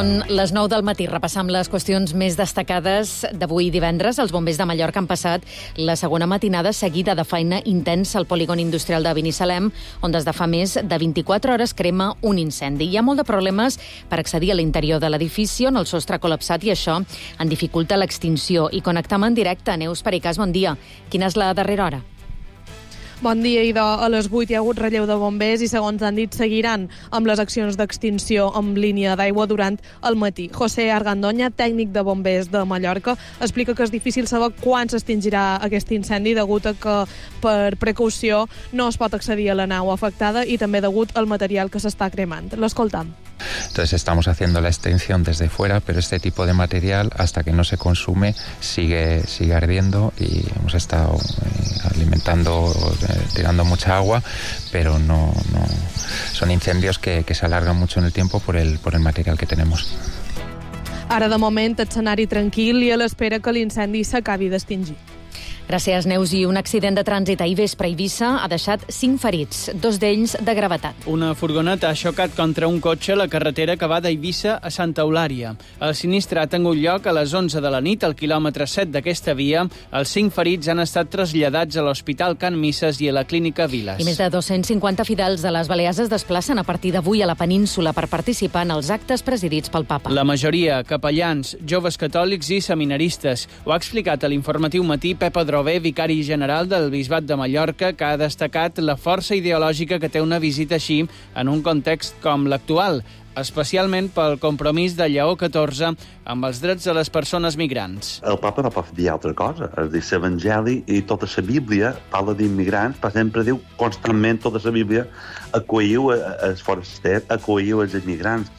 Són les 9 del matí. Repassam les qüestions més destacades d'avui divendres. Els bombers de Mallorca han passat la segona matinada seguida de feina intensa al polígon industrial de Binissalem, on des de fa més de 24 hores crema un incendi. Hi ha molt de problemes per accedir a l'interior de l'edifici, on el sostre ha col·lapsat, i això en dificulta l'extinció. I connectam en directe. Neus Pericàs, bon dia. Quina és la darrera hora? Bon dia, idò. A les 8 hi ha hagut relleu de bombers i, segons han dit, seguiran amb les accions d'extinció amb línia d'aigua durant el matí. José Argandoña, tècnic de bombers de Mallorca, explica que és difícil saber quan s'extingirà aquest incendi degut a que, per precaució, no es pot accedir a la nau afectada i també degut al material que s'està cremant. L'escoltam. Entonces estamos haciendo la extinción desde fuera, pero este tipo de material, hasta que no se consume, sigue ardiendo, y hemos estado alimentando, tirando mucha agua, pero no son incendios que se alargan mucho en el tiempo por el material que tenemos. Ara, de moment, escenari tranquil i a l'espera que l'incendi s'acabi d'extingir. Gràcies, Neus. I un accident de trànsit ahir vespre a Eivissa ha deixat 5 ferits, 2 d'ells de gravetat. Una furgoneta ha xocat contra un cotxe a la carretera que va d'Eivissa a Santa Eulària. El sinistre ha tingut lloc a les 11 de la nit al quilòmetre 7 d'aquesta via. Els 5 ferits han estat traslladats a l'Hospital Can Misses i a la Clínica Viles. I més de 250 fidels de les Balears es desplacen a partir d'avui a la península per participar en els actes presidits pel Papa. La majoria, capellans, joves catòlics i seminaristes. Ho ha explicat a l'Informatiu Matí Pep Adrover, vicari general del Bisbat de Mallorca, que ha destacat la força ideològica que té una visita així en un context com l'actual, especialment pel compromís de Lleó XIV amb els drets de les persones migrants. El papa no pot dir altra cosa. És dir, l'Evangeli i tota la Bíblia parla d'immigrants, per sempre diu constantment tota la Bíblia: acolliu els forasters, acolliu els immigrants.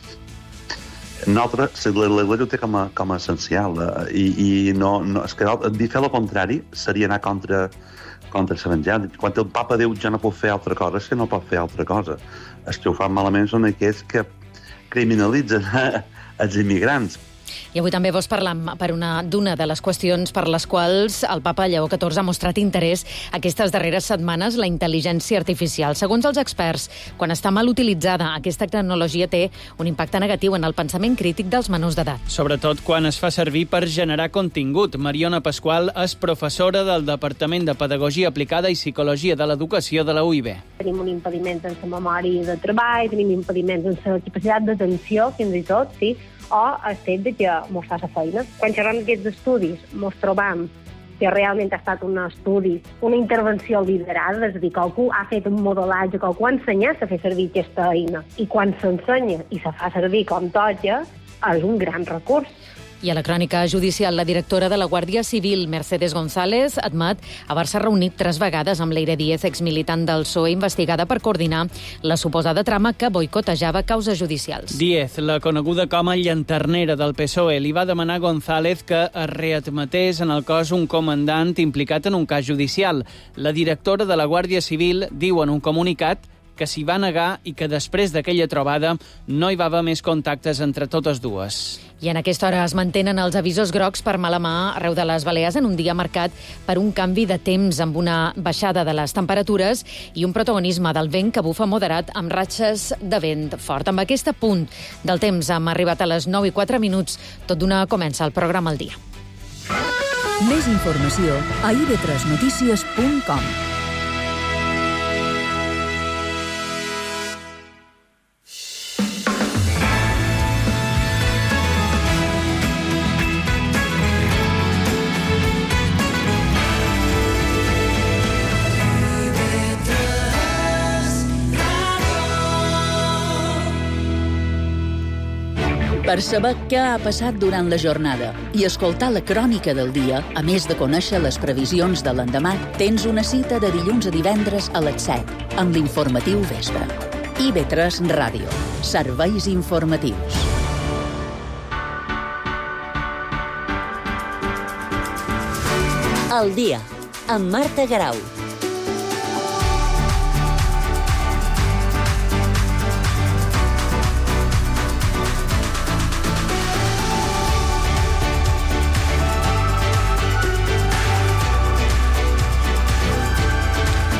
Nosaltres, l'Església ho té com a essencial, i no, és que dir fer el contrari seria anar contra l'Evangeli. Quan el papa diu ja no pot fer altra cosa, és que no pot fer altra cosa. Els que ho fan malament són aquells que criminalitzen els immigrants. I avui també vols parlar d'una de les qüestions per les quals el papa Lleó XIV ha mostrat interès aquestes darreres setmanes: la intel·ligència artificial. Segons els experts, quan està mal utilitzada, aquesta tecnologia té un impacte negatiu en el pensament crític dels menors d'edat. Sobretot quan es fa servir per generar contingut. Mariona Pasqual és professora del Departament de Pedagogia Aplicada i Psicologia de l'Educació de la UIB. Tenim un impediment en la memòria de treball, tenim impediments en la capacitat d'atenció, fins i tot, sí, o el fet de que mos fa la feina. Quan xerrem d'aquests estudis, mos trobam que realment ha estat un estudi, una intervenció liderada, és a dir, que algú ha fet un modelatge, que algú ha ensenyat a fer servir aquesta eina, i quan s'ensenya i se fa servir com toca, és un gran recurs. I a la crònica judicial, la directora de la Guàrdia Civil, Mercedes González, admet haver-se reunit 3 vegades amb Leire Díez, exmilitant del PSOE, investigada per coordinar la suposada trama que boicotejava causes judicials. Díez, la coneguda com a llanternera del PSOE, li va demanar a González que es readmetés en el cos un comandant implicat en un cas judicial. La directora de la Guàrdia Civil diu en un comunicat que s'hi va negar i que després d'aquella trobada no hi va haver més contactes entre totes dues. I en aquesta hora es mantenen els avisos grocs per mala mà arreu de les Balears en un dia marcat per un canvi de temps amb una baixada de les temperatures i un protagonisme del vent que bufa moderat amb ratxes de vent fort. Amb aquest punt del temps hem arribat a les 9:04. Tot d'una comença el programa al dia. Més informació a ib3notícies.com. Per saber què ha passat durant la jornada i escoltar la crònica del dia, a més de conèixer les previsions de l'endemà, tens una cita de dilluns a divendres a les 7, amb l'informatiu Vespre. IB3 Ràdio. Serveis informatius. El dia, amb Marta Garau.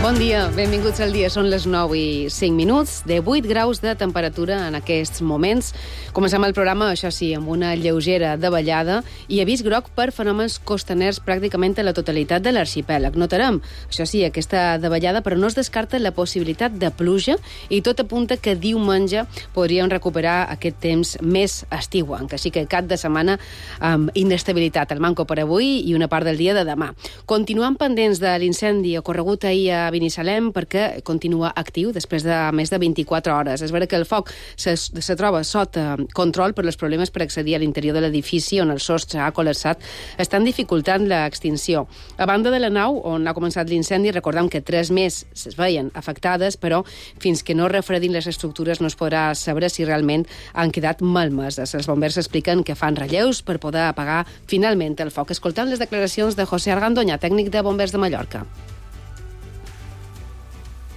Bon dia, benvinguts al dia. Són les 9:05, de 8 graus de temperatura en aquests moments. Comencem el programa, això sí, amb una lleugera davallada i avís groc per fenòmens costaners pràcticament a la totalitat de l'arxipèlag. Notarem, això sí, aquesta davallada, però no es descarta la possibilitat de pluja i tot apunta que diumenge podríem recuperar aquest temps més estiuenc. Així que cap de setmana amb inestabilitat al manco per avui i una part del dia de demà. Continuem pendents de l'incendi ocorregut ahir a Binissalem perquè continua actiu després de més de 24 hores. És vera que el foc se troba sota control, però els problemes per accedir a l'interior de l'edifici on el sostre ha col·lapsat estan dificultant l'extinció. A banda de la nau on ha començat l'incendi, recordem que 3 més es veien afectades, però fins que no refredin les estructures no es podrà saber si realment han quedat malmeses. Els bombers expliquen que fan relleus per poder apagar finalment el foc. Escoltant les declaracions de José Argandoña, tècnic de Bombers de Mallorca.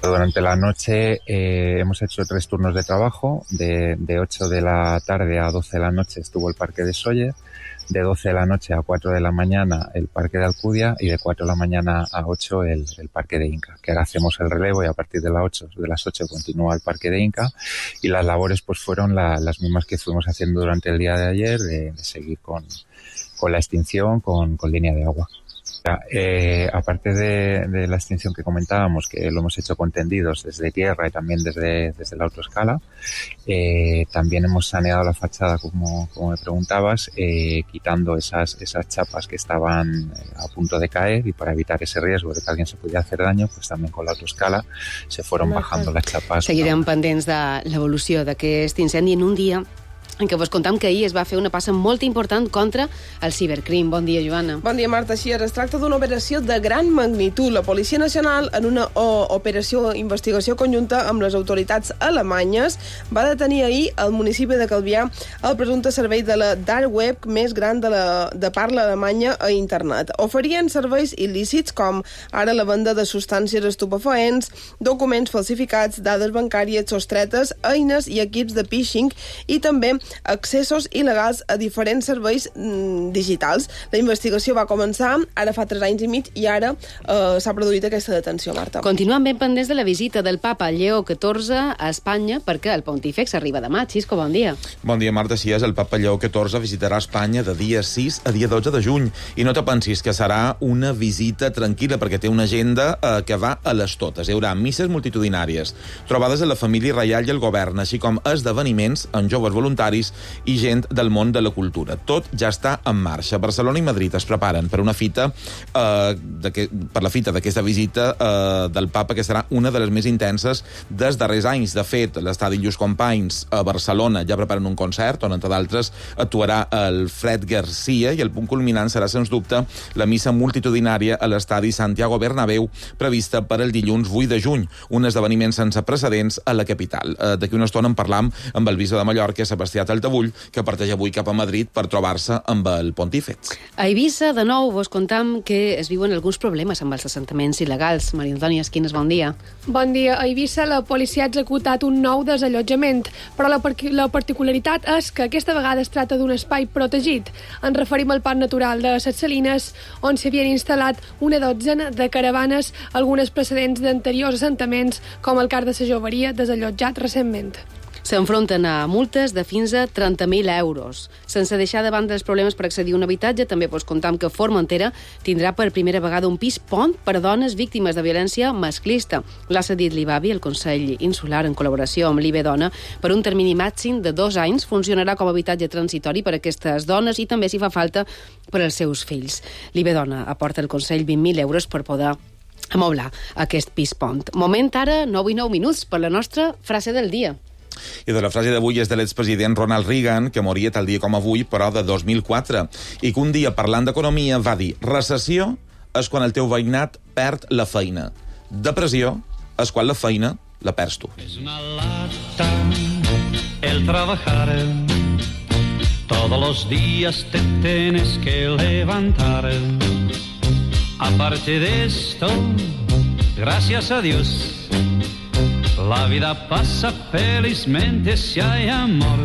Durante la noche hemos hecho 3 turnos de trabajo. De 8 de la tarde a 12 de la noche estuvo el parque de Sóller, de 12 de la noche a 4 de la mañana el parque de Alcudia y de 4 de la mañana a 8 el parque de Inca, que ahora hacemos el relevo y a partir de las 8 continúa el parque de Inca y las labores pues fueron las mismas que fuimos haciendo durante el día de ayer, de seguir con la extinción, con línea de agua. Aparte de la extinción que comentábamos, que lo hemos hecho con tendidos desde tierra y también desde la autoescala, también hemos saneado la fachada, como me preguntabas, quitando esas chapas que estaban a punto de caer y para evitar ese riesgo de que alguien se pudiera hacer daño, pues también con la autoescala se fueron bajando las chapas. Seguirem pendents de l'evolució d'aquest incendi en un dia en què vos contam que ahir es va fer una passa molt important contra el cibercrim. Bon dia, Joana. Bon dia, Marta. Així es tracta d'una operació de gran magnitud. La Policia Nacional, en una operació investigació conjunta amb les autoritats alemanyes, va detenir ahir al municipi de Calvià el presumpte servei de la dark web més gran de parla alemanya a internet. Oferien serveis il·lícits com ara la venda de substàncies estupefaents, documents falsificats, dades bancàries sostretes, eines i equips de phishing i també accessos il·legals a diferents serveis digitals. La investigació va començar ara fa 3 anys i mig i ara s'ha produït aquesta detenció, Marta. Continuem ben pendents de la visita del papa Lleó XIV a Espanya perquè el pontífex arriba demà. Xisco, bon dia. Bon dia, Marta. Sí, el papa Lleó XIV visitarà Espanya de dia 6 a dia 12 de juny. I no te pensis que serà una visita tranquil·la perquè té una agenda que va a les totes. Hi haurà misses multitudinàries, trobades de la família reial i el govern, així com esdeveniments amb joves voluntaris i gent del món de la cultura. Tot ja està en marxa. Barcelona i Madrid es preparen per una fita per la fita d'aquesta visita del papa, que serà una de les més intenses dels darrers anys. De fet, l'estadi Lluís Companys a Barcelona ja preparen un concert on, entre d'altres, actuarà el Fred Garcia i el punt culminant serà, sens dubte, la missa multitudinària a l'estadi Santiago Bernabéu, prevista per el dilluns 8 de juny, un esdeveniment sense precedents a la capital. D'aquí una estona en parlam amb el bisbe de Mallorca, Sebastià Taltabull, que parteix avui cap a Madrid per trobar-se amb el pontífex. A Eivissa, de nou, vos contam que es viuen alguns problemes amb els assentaments il·legals. Maria Antònia Esquines, bon dia. Bon dia. A Eivissa la policia ha executat un nou desallotjament, però la particularitat és que aquesta vegada es tracta d'un espai protegit. Ens referim al Parc Natural de Ses Salines, on s'havien instal·lat una dotzena de caravanes, algunes precedents d'anteriors assentaments, com el Car de la Joveria, desallotjat recentment. S'enfronten a multes de fins a 30.000 euros. Sense deixar de banda els problemes per accedir a un habitatge, també vos contam que Formentera tindrà per primera vegada un pis pont per a dones víctimes de violència masclista. L'ha cedit l'IBAVI, el Consell Insular, en col·laboració amb l'IBE Dona, per un termini màxim de 2 anys. Funcionarà com a habitatge transitori per a aquestes dones i també, si fa falta, per als seus fills. L'IBE Dona aporta al Consell 20.000 euros per poder amoblar aquest pis pont. Moment ara, 9:09 per la nostra frase del dia. I de la frase d'avui és de l'expresident Ronald Reagan, que moria tal dia com avui, però de 2004, i que un dia, parlant d'economia, va dir: recessió és quan el teu veïnat perd la feina. Depressió és quan la feina la perds tu. És una lata el trabajar, todos los días te tienes que levantar. Aparte de esto, gracias a Dios, la vida pasa felizmente si hay amor.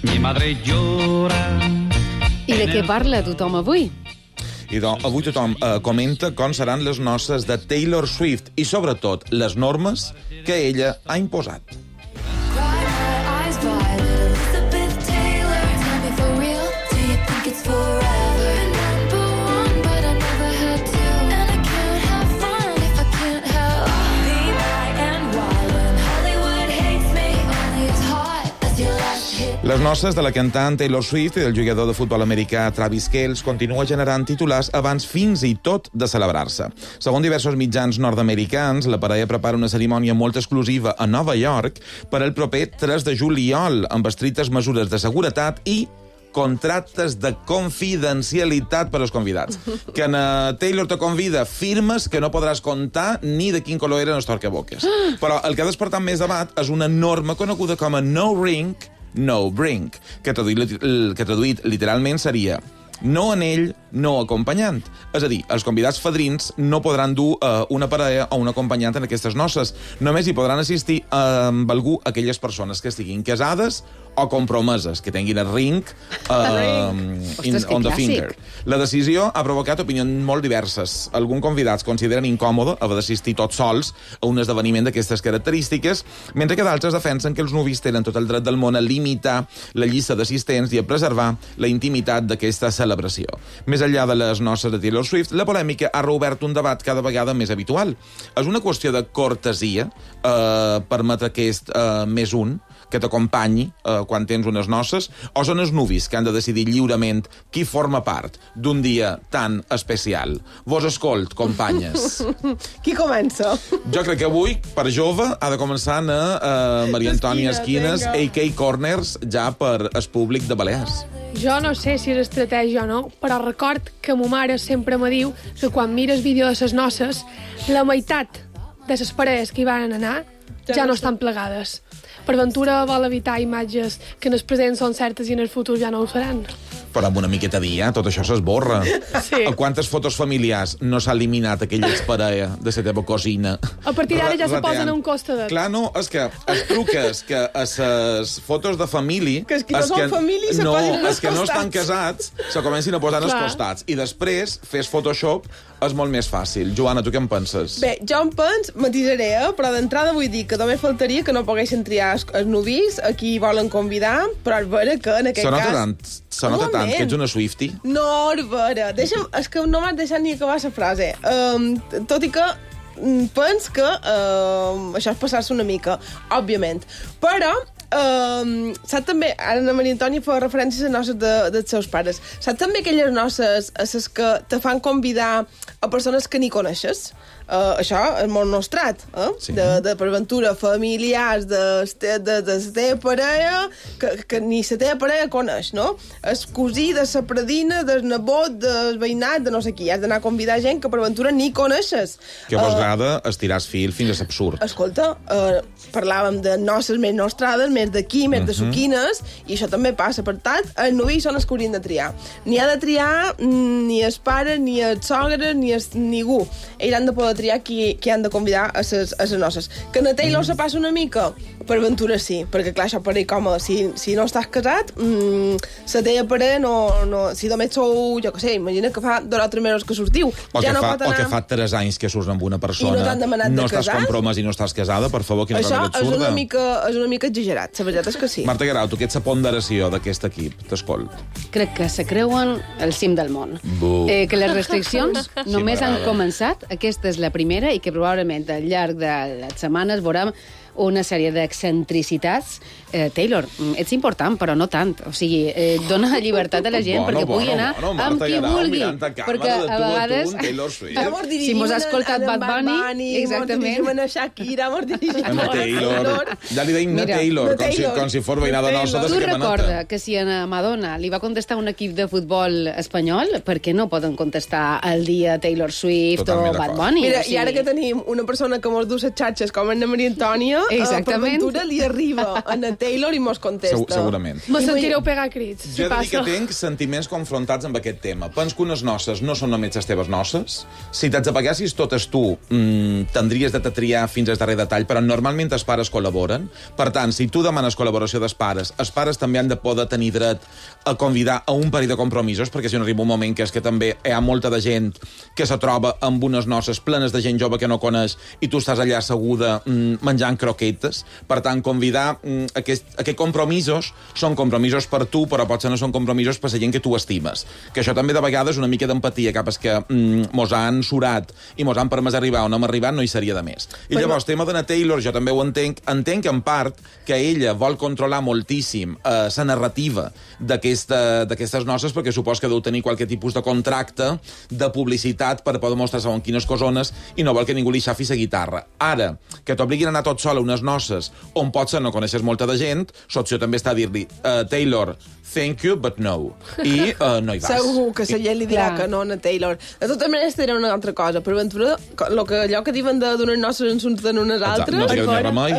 Mi madre llora. I de què parla tothom avui? I doncs, avui tothom comenta com seran les noces de Taylor Swift i, sobretot, les normes que ella ha imposat. Les noces de la cantant Taylor Swift i del jugador de futbol americà Travis Kelce continua generant titulars abans fins i tot de celebrar-se. Segons diversos mitjans nord-americans, la parella prepara una cerimònia molt exclusiva a Nova York per al proper 3 de juliol, amb estrictes mesures de seguretat i contractes de confidencialitat per als convidats. Que Taylor te convida, firmes que no podràs contar ni de quin color eren els torcaboques. Però el que ha despertat més debat és una norma coneguda com a no ring, no bring, que traduït literalment seria no anell, no acompanyant. És a dir, els convidats fadrins no podran dur una parella o un acompanyant en aquestes noces. Només hi podran assistir amb algú aquelles persones que estiguin casades o compromeses, que tinguin el ring on the finger. La decisió ha provocat opinions molt diverses. Alguns convidats consideren incòmode haver d'assistir tots sols a un esdeveniment d'aquestes característiques, mentre que d'altres defensen que els nuvis tenen tot el dret del món a limitar la llista d'assistents i a preservar la intimitat d'aquesta celebració. Més enllà de les noces de Taylor Swift, la polèmica ha reobert un debat cada vegada més habitual. És una qüestió de cortesia permetre aquest més un que t'acompanyi quan tens unes noces, o són els nuvis que han de decidir lliurement qui forma part d'un dia tan especial? Vos escolt, companyes. Qui comença? Jo crec que avui, per jove, ha de començar a Maria Antònia Esquines, a.k.a. Corners, ja per el públic de Balears. Jo no sé si és estratègia o no, però record que ma mare sempre me diu que quan mires vídeo de ses noces, la meitat de les parelles que hi van anar ja no estan plegades. Per ventura vol evitar imatges que en el present són certes i en el futur ja no ho seran. Però amb una miqueta dia, tot això s'esborra. Sí. A quantes fotos familiars no s'ha eliminat aquella exparella de la teva cosina? A partir d'ara ja se posen a un costat. Clar, no, és que els truques que a les fotos de família... Que és que no són família se posen als costats. Que no estan casats se comencin a posar als costats. I després, fes Photoshop, és molt més fàcil. Joana, tu què en penses? Bé, jo en penso, matisaré, però d'entrada vull dir que només faltaria que no poguessin triar els nuvis a qui volen convidar, però és vera que en aquest cas... Se nota tant que ets una Swiftie? No, és vera. Deixa'm, és que no m'has deixat ni acabar la frase. Tot i que penso que això és passar-se una mica, òbviament. Però saps també, ara la Maria Antònia fa referència a les noces dels seus pares. Saps també aquelles noces a les que te fan convidar a persones que ni coneixes? Això és molt nostrat, Sí. de per ventura familiars de la teva parella que ni la teva parella coneix, no? El cosí de la predina, del nebot, del veïnat, de no sé qui. Has d'anar a convidar gent que per ventura ni coneixes. Que vos agrada estirar el fil fins a l'absurd. Escolta, parlàvem de noces més nostrades, més d'aquí, més de suquines, i això també passa. Per tant, els novis són els que haurien de triar. Ni ha de triar ni els pares, ni els sogres, ni ningú. Ells han de poder triar qui han de convidar a les noces. Que a Taylor se passa una mica? Per ventura sí, perquè clar, això pareix còmode. Si no estàs casat, la teva parella no... Si només sou, jo què sé, imagina que fa 2 o 3 mesos que sortiu. O que fa 3 anys que surts amb una persona, no estàs compromès i no estàs casada, per favor, quina cosa absurda. Això és una mica exagerat, la veritat és que sí. Marta Guerau, tu què ets la ponderació d'aquest equip? T'escolt. Crec que se creuen el cim del món. Que les restriccions només han començat, aquesta és la primera, i que probablement al llarg de les setmanes veurem una sèrie d'excentricitats. Taylor, ets important, però no tant. O sigui, dona llibertat a la gent perquè pugui anar amb qui vulgui. Perquè a vegades... Si mos ha escoltat Bad Bunny, exactament. Mos dirigim a Shakira, mos dirigim a Taylor. Ja li deim Taylor, com si fos veïnada nostra de tu recorda que si a Madonna li va contestar un equip de futbol espanyol, per què no poden contestar el dia Taylor Swift o Bad Bunny? Mira, i ara que tenim una persona que mos du les xatxes com Anna Maria Antònia, per ventura li arriba a Anna Taylor i mos contesta. Segurament. Me sentireu pegar crits, si jo he de dir passa. que tinc sentiments confrontats amb aquest tema. Pens que unes noces no són només les teves noces. Si te'ls apagassis totes tu, tindries de triar fins al darrer detall, però normalment els pares col·laboren. Per tant, si tu demanes col·laboració dels pares, els pares també han de poder tenir dret a convidar a un parell de compromisos, perquè si no arriba un moment que és que també hi ha molta de gent que se troba amb unes noces plenes de gent jove que no coneix i tu estàs allà asseguda menjant croquetes. Per tant, convidar aquests compromisos són compromisos per tu, però potser no són compromisos per la gent que tu estimes. Que això també de vegades una mica d'empatia cap als que mos han surat i mos han permès arribar on hem arribat no hi seria de més. I llavors, tema d'Anna Taylor, jo també ho entenc en part que ella vol controlar moltíssim la narrativa d'aquestes noces perquè supos que deu tenir qualque tipus de contracte de publicitat per poder mostrar segons quines cosones i no vol que ningú li xafi la guitarra. Ara, que t'obliguin a anar tot sol a unes noces on potser no coneixes molta de gent, l'opció també està a dir-li Taylor, thank you, but no. I no hi vas. Segur que la gent li dirà que no a Taylor. De totes maneres, dirà una altra cosa. Per ventura, allò que diuen d'unes noces en surten unes altres, no sé què remei.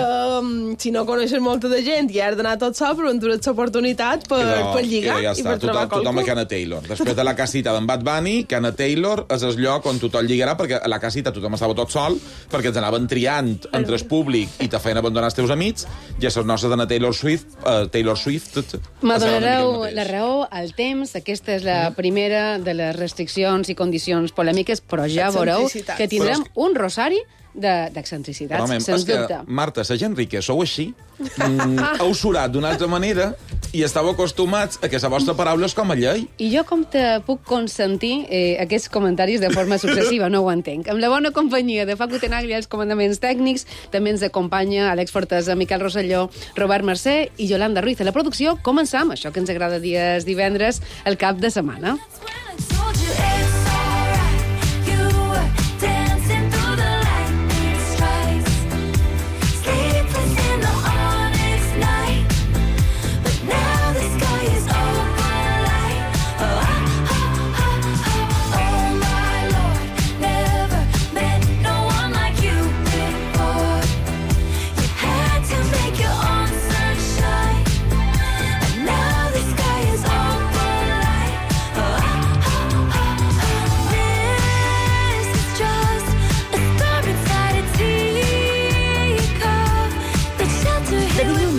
Si no coneixes molta de gent i has d'anar tot sol, per ventura ets l'oportunitat per lligar ja i per trobar qualcú. Tothom a Anna Taylor. Després de la casita d'en Bad Bunny, que Anna Taylor és el lloc on tothom lligarà, perquè a la casita tothom estava tot sol, perquè ens anaven triant entre el públic i te feien abandonar els teus amics, i a les noces d'Anna Taylor Swift... Me donareu la raó al temps. Aquesta és la primera de les restriccions i condicions polèmiques, però ja veureu que tindrem un rosari d'excentricitats, sens dubte. Marta, la gent rica, sou així? Heu surat d'una altra manera i estàu acostumats a que la vostra paraula és com a llei. I jo com te puc consentir aquests comentaris de forma successiva? No ho entenc. Amb la bona companyia de Facu Tenagli als comandaments tècnics, també ens acompanya Àlex Fortesa, Miquel Rosselló, Robert Mercè i Yolanda Ruiz. A la producció començam, això que ens agrada dies divendres, el cap de setmana.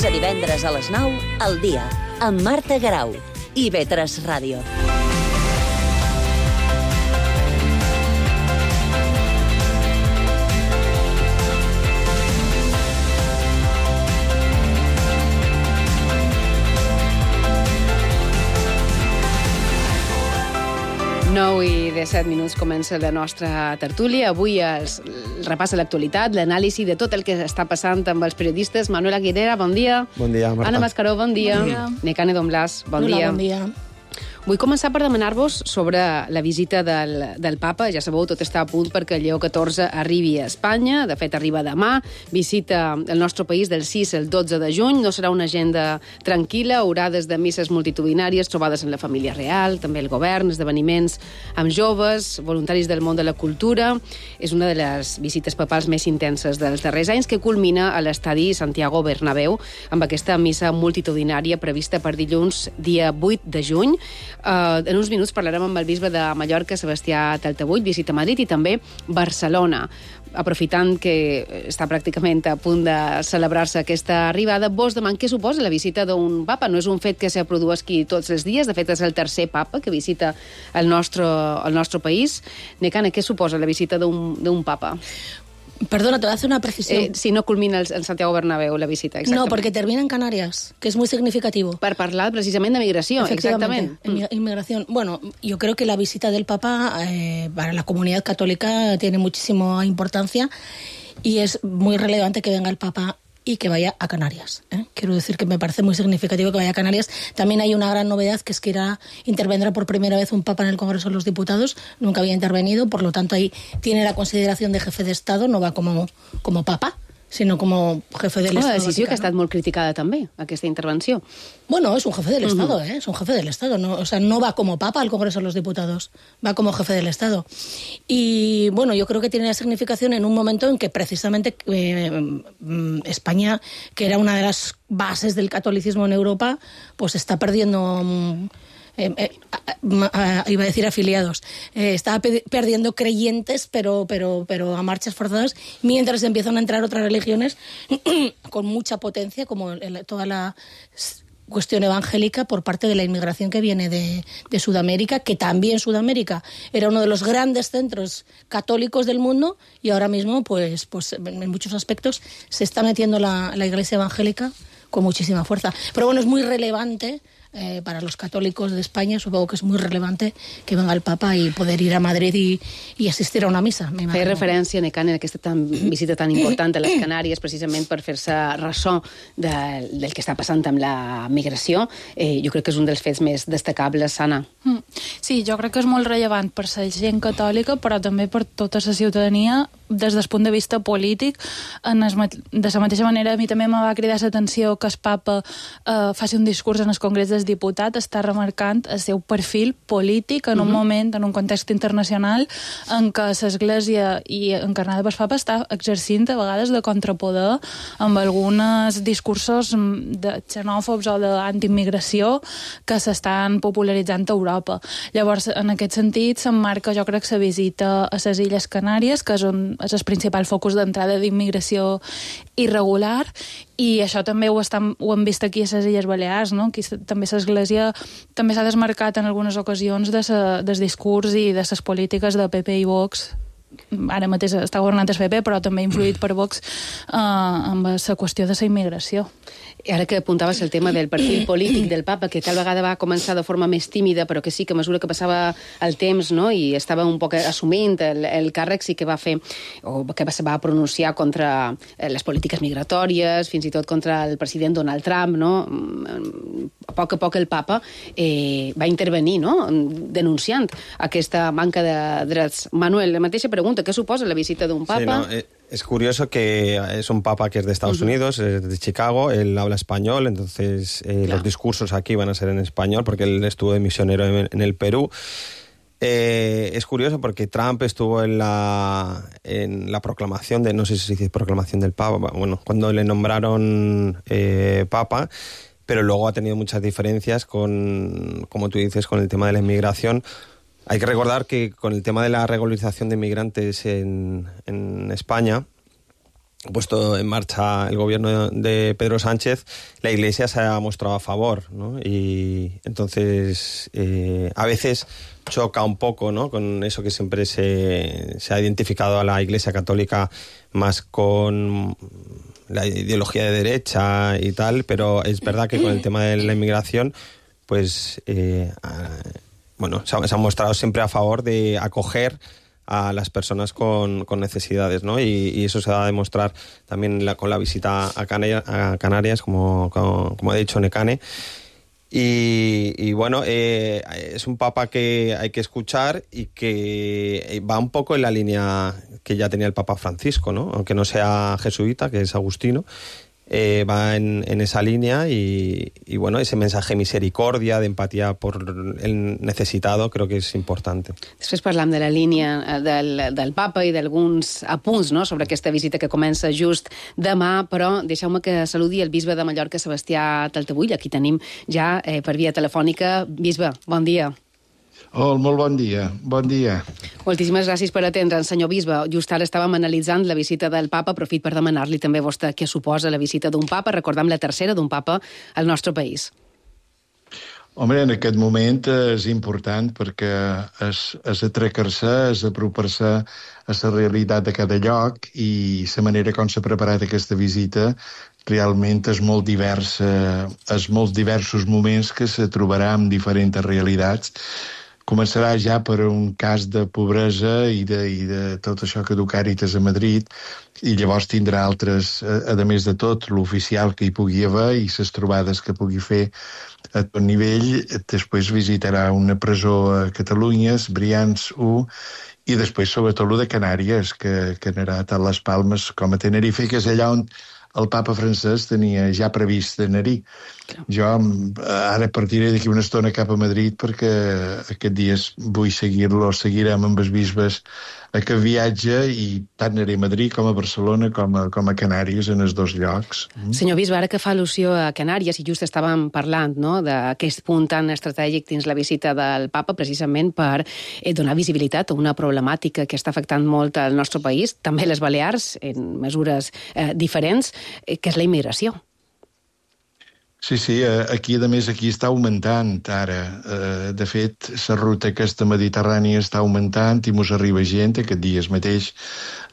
Divendres a les 9, al dia, amb Marta Garau i IB3 Ràdio. I de 7 minuts comença la nostra tertúlia. Avui es repassa l'actualitat, l'anàlisi de tot el que està passant amb els periodistes. Manuel Aguilera, bon dia. Bon dia, Marta. Anna Mascaró, bon dia. Bon dia. Nekane Don Blas, bon dia. Bon dia. Vull començar per demanar-vos sobre la visita del papa. Ja sabeu, tot està a punt perquè Lleó XIV arribi a Espanya. De fet, arriba demà. Visita el nostre país del 6 al 12 de juny. No serà una agenda tranquil·la. Horades de misses multitudinàries, trobades en la família real, també el govern, esdeveniments amb joves, voluntaris del món de la cultura. És una de les visites papals més intenses dels darrers anys, que culmina a l'estadi Santiago Bernabéu amb aquesta missa multitudinària prevista per dilluns, dia 8 de juny. En uns minuts parlarem amb el bisbe de Mallorca, Sebastià Taltabull, visita Madrid i també Barcelona. Aprofitant que està pràcticament a punt de celebrar-se aquesta arribada, vos deman què suposa la visita d'un papa. No és un fet que se produeixi tots els dies, de fet és el tercer papa que visita el nostre país. Nekane, què suposa la visita d'un papa? Perdona, te voy a hacer una precisión. Si no culmina en Santiago Bernabéu la visita, exactamente. No, porque termina en Canarias, que es muy significativo. Per parlar precisament de migració, exactament. Inmigración. Bueno, yo creo que la visita del Papa para la comunidad católica tiene muchísima importancia y es muy relevante que venga el Papa y que vaya a Canarias. Quiero decir que me parece muy significativo que vaya a Canarias. También hay una gran novedad, que es que intervendrá por primera vez un papa en el Congreso de los Diputados. Nunca había intervenido, por lo tanto ahí tiene la consideración de jefe de Estado, no va como papa, sino como jefe del Estado. Una decisió Vaticano. que ha estat molt criticada també, aquesta intervenció. Bueno, es un jefe del Estado, es un jefe del Estado. No, o sea, no va como papa al Congreso de los Diputados, va como jefe del Estado. Y bueno, yo creo que tiene significación en un momento en que precisamente España, que era una de las bases del catolicismo en Europa, pues está perdiendo... iba a decir afiliados, estaba perdiendo creyentes, pero a marchas forzadas, mientras empiezan a entrar otras religiones con mucha potencia, como toda la cuestión evangélica por parte de la inmigración que viene de Sudamérica, que también Sudamérica era uno de los grandes centros católicos del mundo, y ahora mismo, pues en muchos aspectos, se está metiendo la Iglesia evangélica con muchísima fuerza. Pero bueno, es muy relevante para los católicos de España, supongo que es muy relevante que venga el Papa y poder ir a Madrid y asistir a una missa. Feia referència, Necane, en aquesta visita tan important a les Canàries, precisament per fer-se ressò del que està passant amb la migració. Jo crec que és un dels fets més destacables, Anna. Sí, jo crec que és molt rellevant per la gent catòlica, però també per tota la ciutadania, des del punt de vista polític. De la mateixa manera, a mi també me va cridar l'atenció que el Papa faci un discurs en el Congrés dels Diputats, està remarcant el seu perfil polític en un moment, en un context internacional, en què l'Església i encarnada pel Papa està exercint a vegades de contrapoder amb alguns discursos xenòfobs o d'antiimmigració que s'estan popularitzant a Europa. Llavors, en aquest sentit, s'emmarca, jo crec, la visita a les Illes Canàries, que és el principal focus d'entrada d'immigració irregular, i això també ho hem vist aquí a les Illes Balears, no? Aquí també l'Església també s'ha desmarcat en algunes ocasions del discurs i de les polítiques de PP i Vox. Ara mateix està governant el PP, però també influït per Vox amb la qüestió de la immigració. I ara que apuntaves el tema del perfil polític del papa, que tal vegada va començar de forma més tímida, però que sí que a mesura que passava el temps, no, i estava un poc assumint el càrrec, sí que va fer, o que va pronunciar contra les polítiques migratòries, fins i tot contra el president Donald Trump, no? A poc el papa va intervenir, no?, denunciant aquesta manca de drets. Manuel, la mateixa pregunta, què suposa la visita d'un papa? Sí, no, es curioso que es un papa que es de Estados Unidos, es de Chicago, él habla español, entonces los discursos aquí van a ser en español porque él estuvo de misionero en el Perú. Es curioso porque Trump estuvo en la proclamación no sé si se dice proclamación del Papa, bueno, cuando le nombraron Papa, pero luego ha tenido muchas diferencias como tú dices, con el tema de la inmigración. Hay que recordar que con el tema de la regularización de inmigrantes en España, puesto en marcha el gobierno de Pedro Sánchez, la Iglesia se ha mostrado a favor, ¿no? Y entonces a veces choca un poco, ¿no?, con eso que siempre se ha identificado a la Iglesia Católica más con la ideología de derecha y tal, pero es verdad que con el tema de la inmigración, pues bueno, se ha mostrado siempre a favor de acoger a las personas con necesidades, ¿no? Y eso se va a demostrar también con la visita a Canarias, como ha dicho Necane. Y bueno, es un papa que hay que escuchar y que va un poco en la línea que ya tenía el Papa Francisco, ¿no? Aunque no sea jesuita, que es agustino, va en esa línea y bueno, ese mensaje de misericordia, de empatía por el necesitado, creo que és important. Després parlam de la línia del papa i d'alguns apunts, no?, sobre aquesta visita que comença just demà, però deixeu-me que saludi el bisbe de Mallorca, Sebastià Taltabull. Aquí tenim ja per via telefònica. Bisbe, bon dia. Oh, molt bon dia, bon dia. Moltíssimes gràcies per atendre'ns, senyor bisbe. Just ara estàvem analitzant la visita del papa, aprofit per demanar-li també a vostè què suposa la visita d'un papa, recordem la tercera d'un papa al nostre país. Home, en aquest moment és important perquè és atracar-se, és apropar-se a la realitat de cada lloc i la manera com s'ha preparat aquesta visita realment és molt diversa, és molts diversos moments que se trobarà amb diferents realitats. començarà ja per un cas de pobresa i de tot això que du Càritas a Madrid, i llavors tindrà altres, a més de tot, l'oficial que hi pugui haver i les trobades que pugui fer a tot nivell. Després visitarà una presó a Catalunya, Brians 1, i després, sobretot, el de Canàries, que anirà a les Palmes com a Tenerife, que és allà on el papa francès tenia ja previst anar-hi. Jo ara partiré d'aquí una estona cap a Madrid perquè aquests dies vull seguir-lo, seguirem amb els bisbes aquest viatge, i tant aniré a Madrid com a Barcelona com a Canàries, en els dos llocs. Senyor bisbe, ara que fa al·lusió a Canàries, i just estàvem parlant, no?, d'aquest punt tan estratègic dins la visita del papa, precisament per donar visibilitat a una problemàtica que està afectant molt al nostre país, també les Balears, en mesures diferents, que és la immigració. Sí, aquí, a més, aquí està augmentant ara. De fet, la ruta aquesta mediterrània està augmentant i mos arriba gent. Aquest dies mateix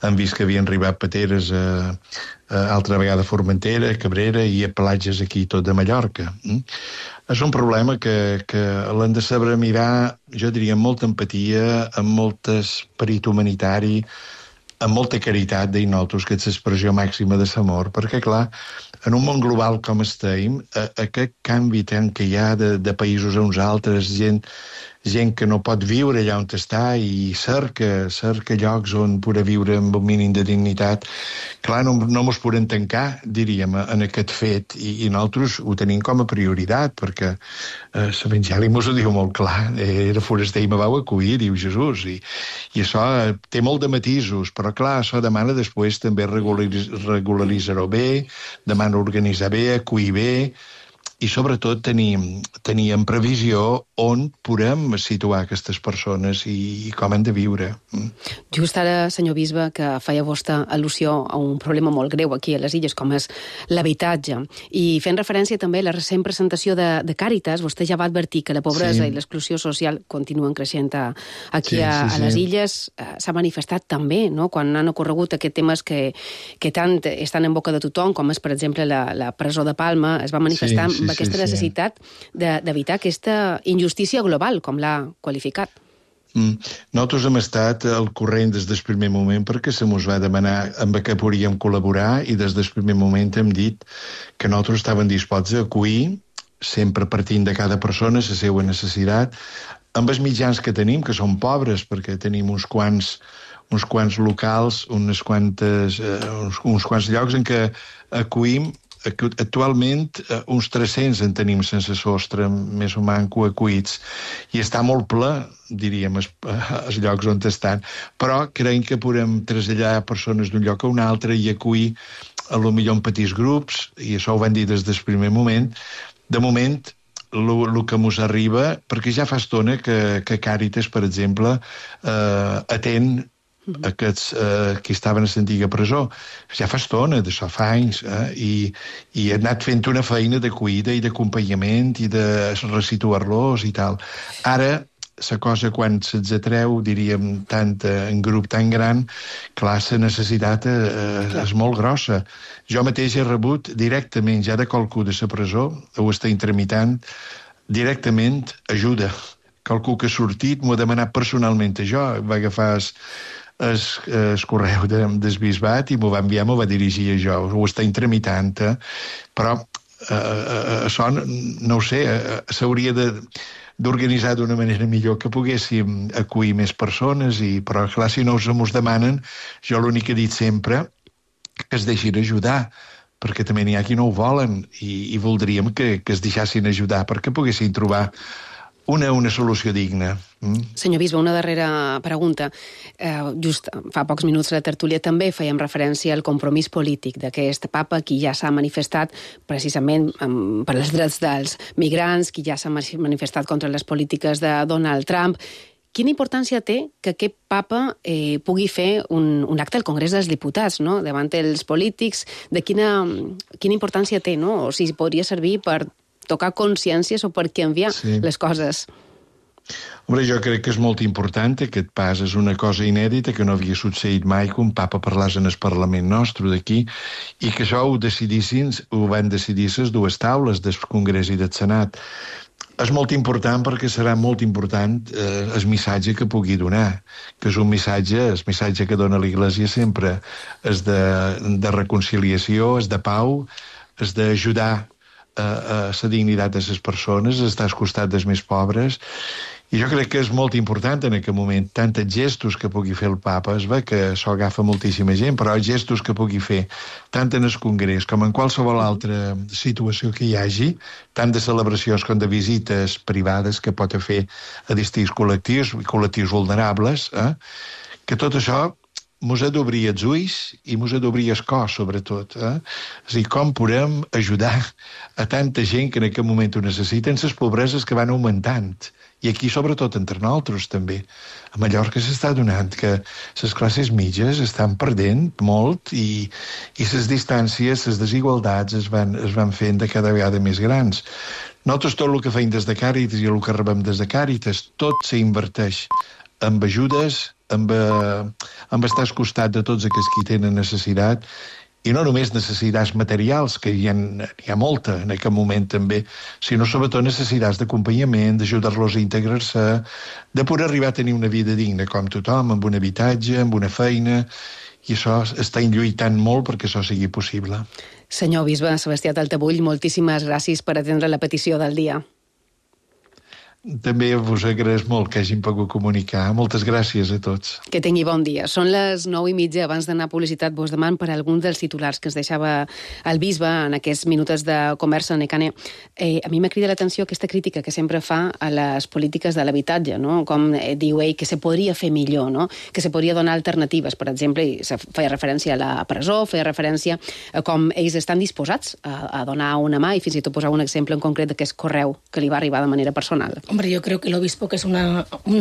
hem vist que havien arribat pateres altra vegada a Formentera, a Cabrera i a platges aquí tot de Mallorca. És un problema que l'hem de saber mirar, jo diria, amb molta empatia, amb molt esperit humanitari, amb molta caritat, deia nosaltres, que és l'expressió màxima de l'amor, perquè, clar, en un món global com estem, aquest canvi tant que hi ha de països a uns altres, gent que no pot viure allà on està i cerca llocs on poder viure amb un mínim de dignitat, clar, no mos podem tancar, diríem, en aquest fet, i nosaltres ho tenim com a prioritat, perquè l'Evangeli mos ho diu molt clar, era foraster i me vau acollir, diu Jesús, i això té molt de matisos, però clar, això demana després també regularitzar-ho bé, demana organitzar bé, acollir bé, i sobretot tenir en previsió on podem situar aquestes persones i com han de viure. Just ara, senyor bisbe, que feia vostra al·lusió a un problema molt greu aquí a les Illes, com és l'habitatge, i fent referència també a la recent presentació de Càritas, vostè ja va advertir que la pobresa i l'exclusió social continuen creixent aquí a les Illes. S'ha manifestat també, no?, quan han ocorregut aquests temes que tant estan en boca de tothom, com és, per exemple, la presó de Palma, es va manifestar amb aquesta necessitat d'evitar aquesta injustícia global, com l'ha qualificat. Nosaltres hem estat al corrent des del primer moment perquè se mos va demanar amb què podríem col·laborar, i des del primer moment hem dit que nosaltres estàvem disposats a acollir, sempre partint de cada persona la seva necessitat, amb els mitjans que tenim, que són pobres, perquè tenim uns quants locals, uns quants llocs en què acollim. Actualment uns 300 en tenim sense sostre, més o manco acollits, i està molt ple, diríem, els llocs on estan, però creiem que podem traslladar persones d'un lloc a un altre i acollir potser en petits grups, i això ho van dir des del primer moment. De moment, el que mos arriba, perquè ja fa estona que Càritas, per exemple, atén aquests que estaven a l'antiga presó. Ja fa estona, d'això fa anys, i ha anat fent una feina de cuida i d'acompanyament i de resituar-los i tal. Ara, la cosa, quan se'ls atreu, diríem, en grup tan gran, clar, la necessitat és molt grossa. Jo mateix he rebut directament, ja de qualcú de la presó, o està intermitent, directament ajuda. Qualcú que ha sortit m'ho ha demanat personalment a jo, va agafar el correu del bisbat i m'ho va enviar, m'ho va dirigir a jo. Ho està intermitent, però això, no ho sé, s'hauria d'organitzar d'una manera millor, que poguéssim acollir més persones, però clar, si no ens demanen, jo l'únic que he dit sempre que es deixin ajudar, perquè també n'hi ha qui no ho volen, i voldríem que es deixassin ajudar perquè poguessin trobar una solució digna. Senyor bisbe, una darrera pregunta. Just fa pocs minuts a la tertúlia també fèiem referència al compromís polític d'aquest papa, qui ja s'ha manifestat precisament per als drets dels migrants, qui ja s'ha manifestat contra les polítiques de Donald Trump. Quina importància té que aquest papa pugui fer un acte al Congrés dels Diputats, no?, davant els polítics? De quina importància té, no?, o si podria servir per tocar consciències o per canviar les coses? Hombre, jo crec que és molt important aquest pas. És una cosa inèdita que no havia succeït mai que un papa parlés en el Parlament nostre d'aquí, i que això ho van decidir les dues taules del Congrés i del Senat. és molt important perquè serà molt important el missatge que pugui donar, que és el missatge que dona l'Església sempre és de reconciliació, és de pau, és d'ajudar a la dignitat de les persones, estar al costat dels més pobres. I jo crec que és molt important en aquest moment, tant els gestos que pugui fer el papa, es ve que s'ho agafa moltíssima gent, però els gestos que pugui fer, tant en el Congrés com en qualsevol altra situació que hi hagi, tant de celebracions com de visites privades que pot fer a distints col·lectius vulnerables, que tot això mos ha d'obrir els ulls i mos ha d'obrir el cor, sobretot. És a dir, com podem ajudar a tanta gent que en aquest moment ho necessiten, les pobreses que van augmentant. I aquí, sobretot, entre nosaltres, també. A Mallorca s'està donant que les classes mitges estan perdent molt i les distàncies, les desigualtats es van fent de cada vegada més grans. Nosaltres tot el que feim des de Càritas i el que rebem des de Càritas, tot s'inverteix amb ajudes, amb estar al costat de tots aquells que tenen necessitat, i no només necessitats materials, que hi ha molta en aquest moment també, sinó sobretot necessitats d'acompanyament, d'ajudar-los a integrar-se, de poder arribar a tenir una vida digna com tothom, amb un habitatge, amb una feina, i això estan lluitant molt perquè això sigui possible. Senyor bisbe Sebastià Taltabull, moltíssimes gràcies per atendre la petició del dia. També vos agraeix molt que hagin pogut comunicar. Moltes gràcies a tots. Que tingui bon dia. Són les 9:30. Abans d'anar a publicitat, vos deman per alguns dels titulars que ens deixava el bisbe en aquests minuts de conversa. Necane, a mi m'ha cridat l'atenció aquesta crítica que sempre fa a les polítiques de l'habitatge, no? Com diu ell, que se podria fer millor, no? Que se podria donar alternatives, per exemple, i feia referència a la presó, feia referència a com ells estan disposats a donar una mà, i fins i tot posar un exemple en concret d'aquest correu que li va arribar de manera personal. Hombre, yo creo que el obispo, que es un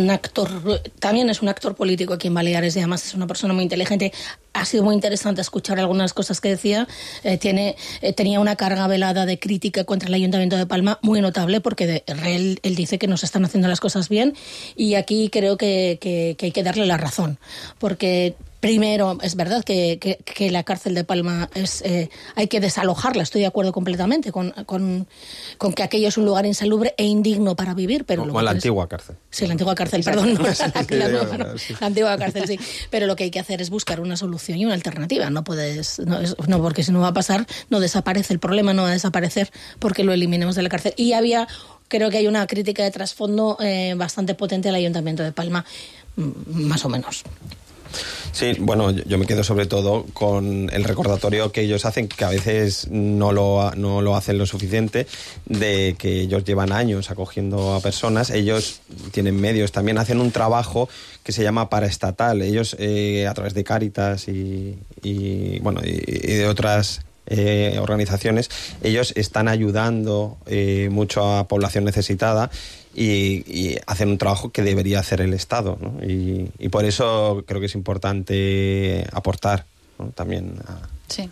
actor, también es un actor político aquí en Baleares y además es una persona muy inteligente. Ha sido muy interesante escuchar algunas cosas que decía. Tenía una carga velada de crítica contra el Ayuntamiento de Palma muy notable, porque él dice que no se están haciendo las cosas bien, y aquí creo que hay que darle la razón, porque primero, es verdad que la cárcel de Palma hay que desalojarla, estoy de acuerdo completamente con que aquello es un lugar insalubre e indigno para vivir. Pero la antigua cárcel. Sí, la antigua cárcel, perdón. No, la antigua cárcel, sí. Pero lo que hay que hacer es buscar una solución y una alternativa. No puedes, no, porque si no va a pasar, no desaparece el problema, no va a desaparecer porque lo eliminemos de la cárcel. Y creo que hay una crítica de trasfondo bastante potente al Ayuntamiento de Palma, más o menos. Sí, bueno, yo me quedo sobre todo con el recordatorio que ellos hacen, que a veces no lo hacen lo suficiente, de que ellos llevan años acogiendo a personas. Ellos tienen medios, también hacen un trabajo que se llama paraestatal. Ellos, a través de Cáritas y de otras organizaciones, ellos están ayudando mucho a población necesitada, y hacen un trabajo que debería hacer el Estado, ¿no? Y por eso creo que és importante aportar, ¿no? También Sí.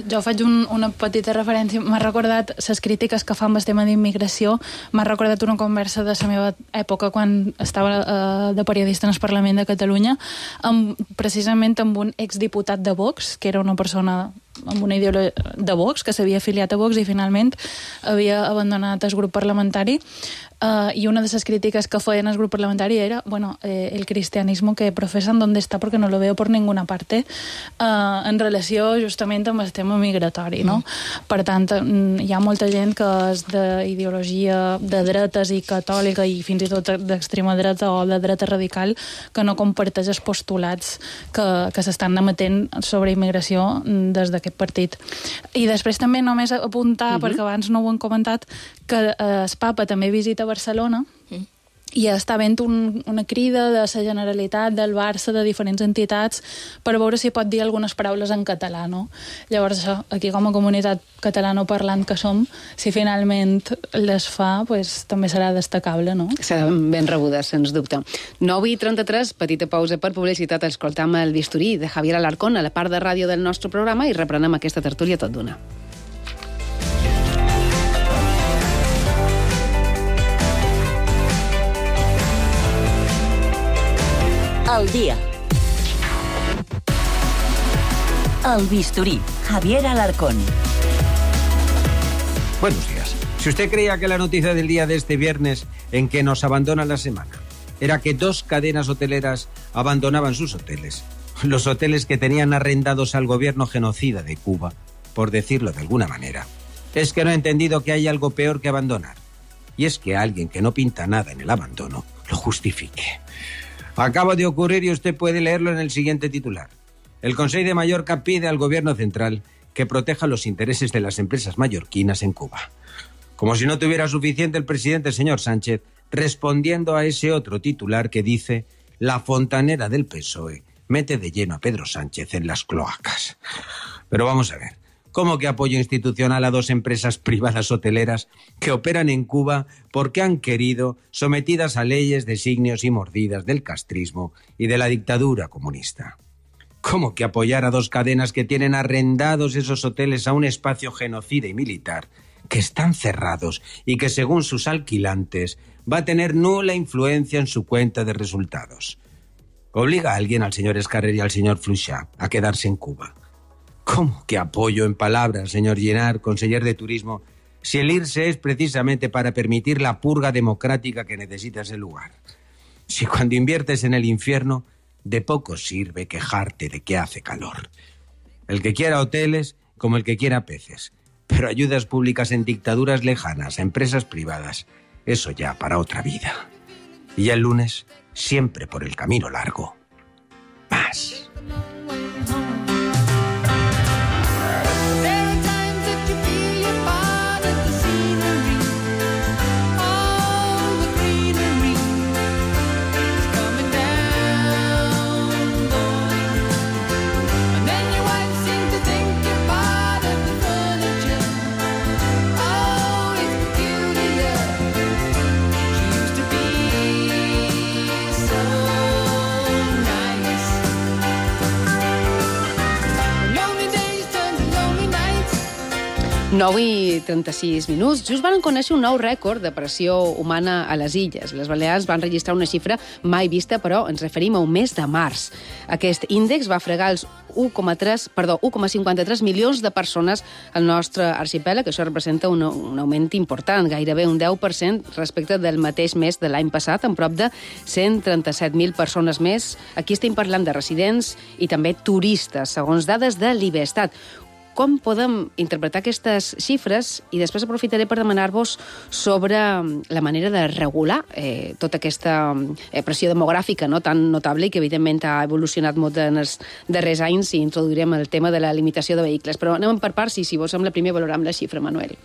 Jo faig una petita referència. M'ha recordat les crítiques que fa amb el tema d'immigració. M'ha recordat una conversa de la meva època quan estava de periodista en el Parlament de Catalunya, precisament amb un exdiputat de Vox, que era una persona amb una ideologia de Vox, que s'havia afiliat a Vox i finalment havia abandonat el grup parlamentari. Y una de esas críticas que feien al grup parlamentari era, el cristianismo que profesan, ¿dónde está? Porque no lo veo por ninguna parte, en relació justament amb el tema migratori, no? Per tant, hi ha molta gent que és d'ideologia de dretes i catòlica i fins i tot d'extrema dreta o de dreta radical, que no comparteix els postulats que s'estan emetent sobre immigració des d'aquest partit. I després també només apuntar, perquè abans no ho hem comentat, que el papa també visita Barcelona i està havent una crida de la Generalitat, del Barça, de diferents entitats, per veure si pot dir algunes paraules en català, no? Llavors, aquí com a comunitat catalanoparlant que som, si finalment les fa, pues, també serà destacable, no? Seran ben rebudes, sens dubte. 9:33, petita pausa per publicitat, escoltam el bisturí de Javier Alarcón a la part de ràdio del nostre programa i reprenem aquesta tertúlia tot d'una. Al día. El bisturí, Javier Alarcón. Buenos días. Si usted creía que la noticia del día de este viernes, en que nos abandona la semana, era que 2 cadenas hoteleras abandonaban sus hoteles, los hoteles que tenían arrendados al gobierno genocida de Cuba, por decirlo de alguna manera, es que no he entendido que hay algo peor que abandonar. Y es que alguien que no pinta nada en el abandono lo justifique. Acaba de ocurrir y usted puede leerlo en el siguiente titular. El Consell de Mallorca pide al gobierno central que proteja los intereses de las empresas mallorquinas en Cuba. Como si no tuviera suficiente el presidente señor Sánchez, respondiendo a ese otro titular que dice: la fontanera del PSOE mete de lleno a Pedro Sánchez en las cloacas. Pero vamos a ver, ¿cómo que apoyo institucional a 2 empresas privadas hoteleras que operan en Cuba porque han querido, sometidas a leyes, designios y mordidas del castrismo y de la dictadura comunista? ¿Cómo que apoyar a 2 cadenas que tienen arrendados esos hoteles a un espacio genocida y militar, que están cerrados y que, según sus alquilantes, va a tener nula influencia en su cuenta de resultados? ¿Obliga a alguien, al señor Escarrer y al señor Fluixà, a quedarse en Cuba? ¿Cómo que apoyo en palabras, señor Girard, conseller de Turismo, si el irse es precisamente para permitir la purga democrática que necesita ese lugar? Si cuando inviertes en el infierno, de poco sirve quejarte de que hace calor. El que quiera hoteles, como el que quiera peces. Pero ayudas públicas en dictaduras lejanas, a empresas privadas, eso ya para otra vida. Y ya el lunes, siempre por el camino largo. Más. Nou i 36 minuts. Just van conèixer un nou rècord de pressió humana a les illes. Les Balears van registrar una xifra mai vista, però ens referim a un mes de març. Aquest índex va fregar els 1,53 milions de persones al nostre arxipèlag, que això representa un augment important, gairebé un 10% respecte del mateix mes de l'any passat, amb prop de 137.000 persones més. Aquí estem parlant de residents i també turistes, segons dades de l'Ibestat. Com podem interpretar aquestes xifres? I després aprofitaré per demanar-vos sobre la manera de regular tota aquesta pressió demogràfica tan notable i que evidentment ha evolucionat molt en els darrers anys, i introduirem el tema de la limitació de vehicles. Però anem per parts i, si vos sembla, primer valorem la xifra, Manuel.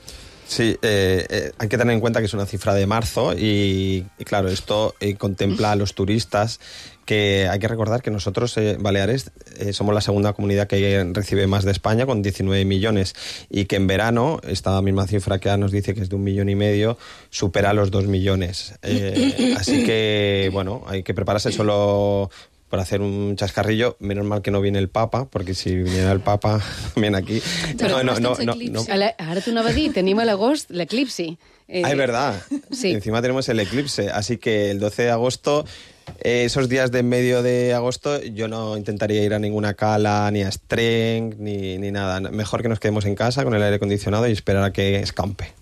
Sí, hay que tener en cuenta que es una cifra de marzo y claro, esto contempla a los turistas, que hay que recordar que nosotros, Baleares, somos la segunda comunidad que recibe más de España, con 19 millones, y que en verano, esta misma cifra que nos dice que es de 1,5 millones, supera los 2 millones. Así que, bueno, hay que prepararse solo por hacer un chascarrillo. Menos mal que no viene el Papa, porque si viniera el Papa, viene aquí. No. Ara t'ho anava a dir, tenim a l'agost l'eclipsi. Es verdad. Sí. Encima tenemos el eclipse, así que el 12 de agosto... esos días de en medio de agosto yo no intentaría ir a ninguna cala, ni a Streng, ni nada. Mejor que nos quedemos en casa con el aire acondicionado y esperar a que escampe.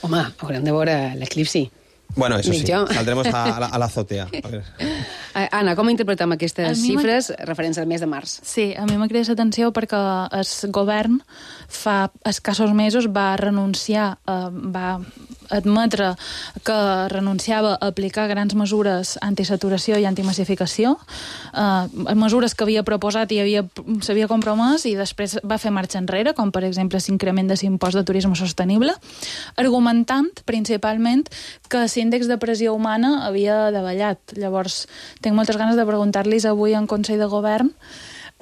Home, haurem de veure l'eclipsi. Bueno, eso sí, saldremos a la azotea. Anna, com interpretem aquestes xifres referents al mes de març? Sí, a mi m'ha cridat l'atenció perquè el govern fa escassos mesos va renunciar, va admetre que renunciava a aplicar grans mesures antisaturació i antimassificació, mesures que havia proposat i s'havia compromès, i després va fer marxa enrere, com per exemple l'increment de l'impost de turisme sostenible, argumentant principalment que l'índex de pressió humana havia davallat. Llavors, tinc moltes ganes de preguntar-los avui en Consell de Govern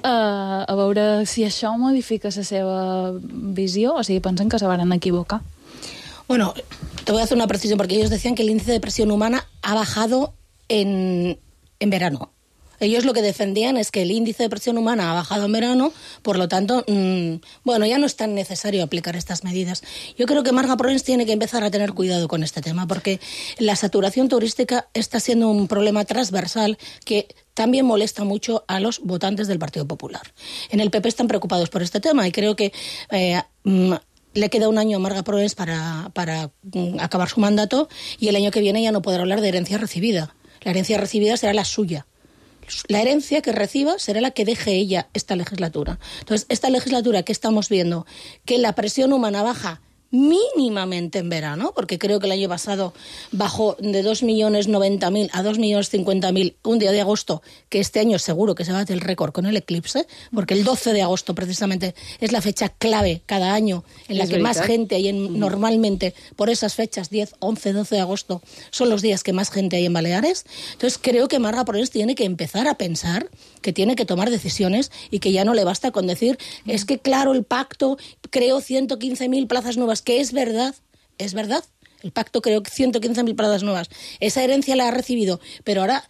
a veure si això modifica la seva visió o si pensen que se van equivocar. Bueno, te voy a hacer una precisión, porque ellos decían que el índice de presión humana ha bajado en verano. Ellos lo que defendían es que el índice de presión humana ha bajado en verano, por lo tanto, bueno, ya no es tan necesario aplicar estas medidas. Yo creo que Marga Provence tiene que empezar a tener cuidado con este tema, porque la saturación turística está siendo un problema transversal que también molesta mucho a los votantes del Partido Popular. En el PP están preocupados por este tema y creo que le queda un año a Marga Proens para acabar su mandato y el año que viene ya no podrá hablar de herencia recibida. La herencia recibida será la suya. La herencia que reciba será la que deje ella esta legislatura. Entonces, esta legislatura que estamos viendo, que la presión humana baja mínimamente en verano, porque creo que el año pasado bajó de 2.090.000 a 2.050.000 un día de agosto, que este año seguro que se bate el récord con el eclipse, porque el 12 de agosto precisamente es la fecha clave cada año en la que más gente hay normalmente por esas fechas, 10, 11, 12 de agosto, son los días que más gente hay en Baleares. Entonces creo que Marga Proens tiene que empezar a pensar que tiene que tomar decisiones y que ya no le basta con decir, es que claro, el pacto creó 115.000 plazas nuevas, que es verdad, el pacto creó 115.000 plazas nuevas, esa herencia la ha recibido, pero ahora,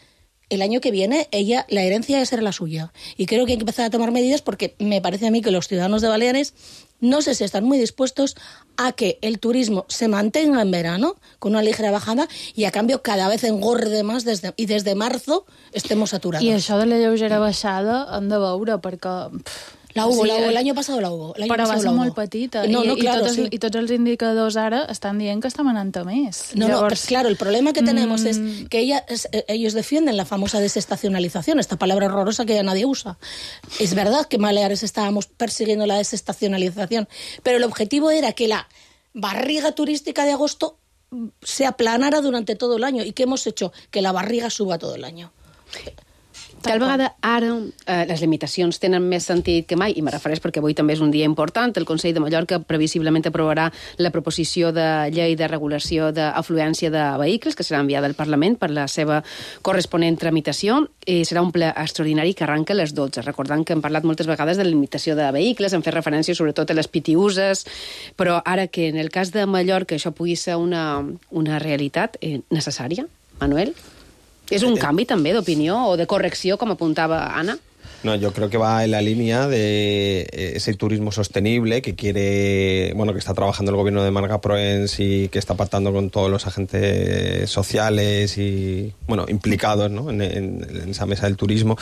el año que viene, la herencia ya será la suya, y creo que hay que empezar a tomar medidas porque me parece a mí que los ciudadanos de Baleares no sé si están muy dispuestos a que el turismo se mantenga en verano con una ligera bajada y a cambio cada vez engorde más i desde marzo estemos saturados. I això de la lleugera baixada hem de veure perquè... La hubo, el año pasado la hubo. Però va ser molt petita. I tots els indicadors ara estan dient que estan anant a més. Pues claro, el problema que tenemos es que ellos defienden la famosa desestacionalización, esta palabra horrorosa que ya nadie usa. Es verdad que en Baleares estábamos persiguiendo la desestacionalización, pero el objetivo era que la barriga turística de agosto se aplanara durante todo el año. ¿Y qué hemos hecho? Que la barriga suba todo el año. Tal vegada ara les limitacions tenen més sentit que mai, i me refereix perquè avui també és un dia important. El Consell de Mallorca previsiblement aprovarà la proposició de llei de regulació d'afluència de vehicles, que serà enviada al Parlament per la seva corresponent tramitació. Serà un ple extraordinari que arranca a les 12. Recordant que hem parlat moltes vegades de la limitació de vehicles, hem fet referència sobretot a les pitiuses, però ara que en el cas de Mallorca això pugui ser una realitat necessària, Manuel? ¿Es un cambio también de opinión o de corrección, como apuntaba Ana? No, yo creo que va en la línea de ese turismo sostenible que quiere, que está trabajando el gobierno de Marga Proens y que está pactando con todos los agentes sociales y, implicados, ¿no? en esa mesa del turismo.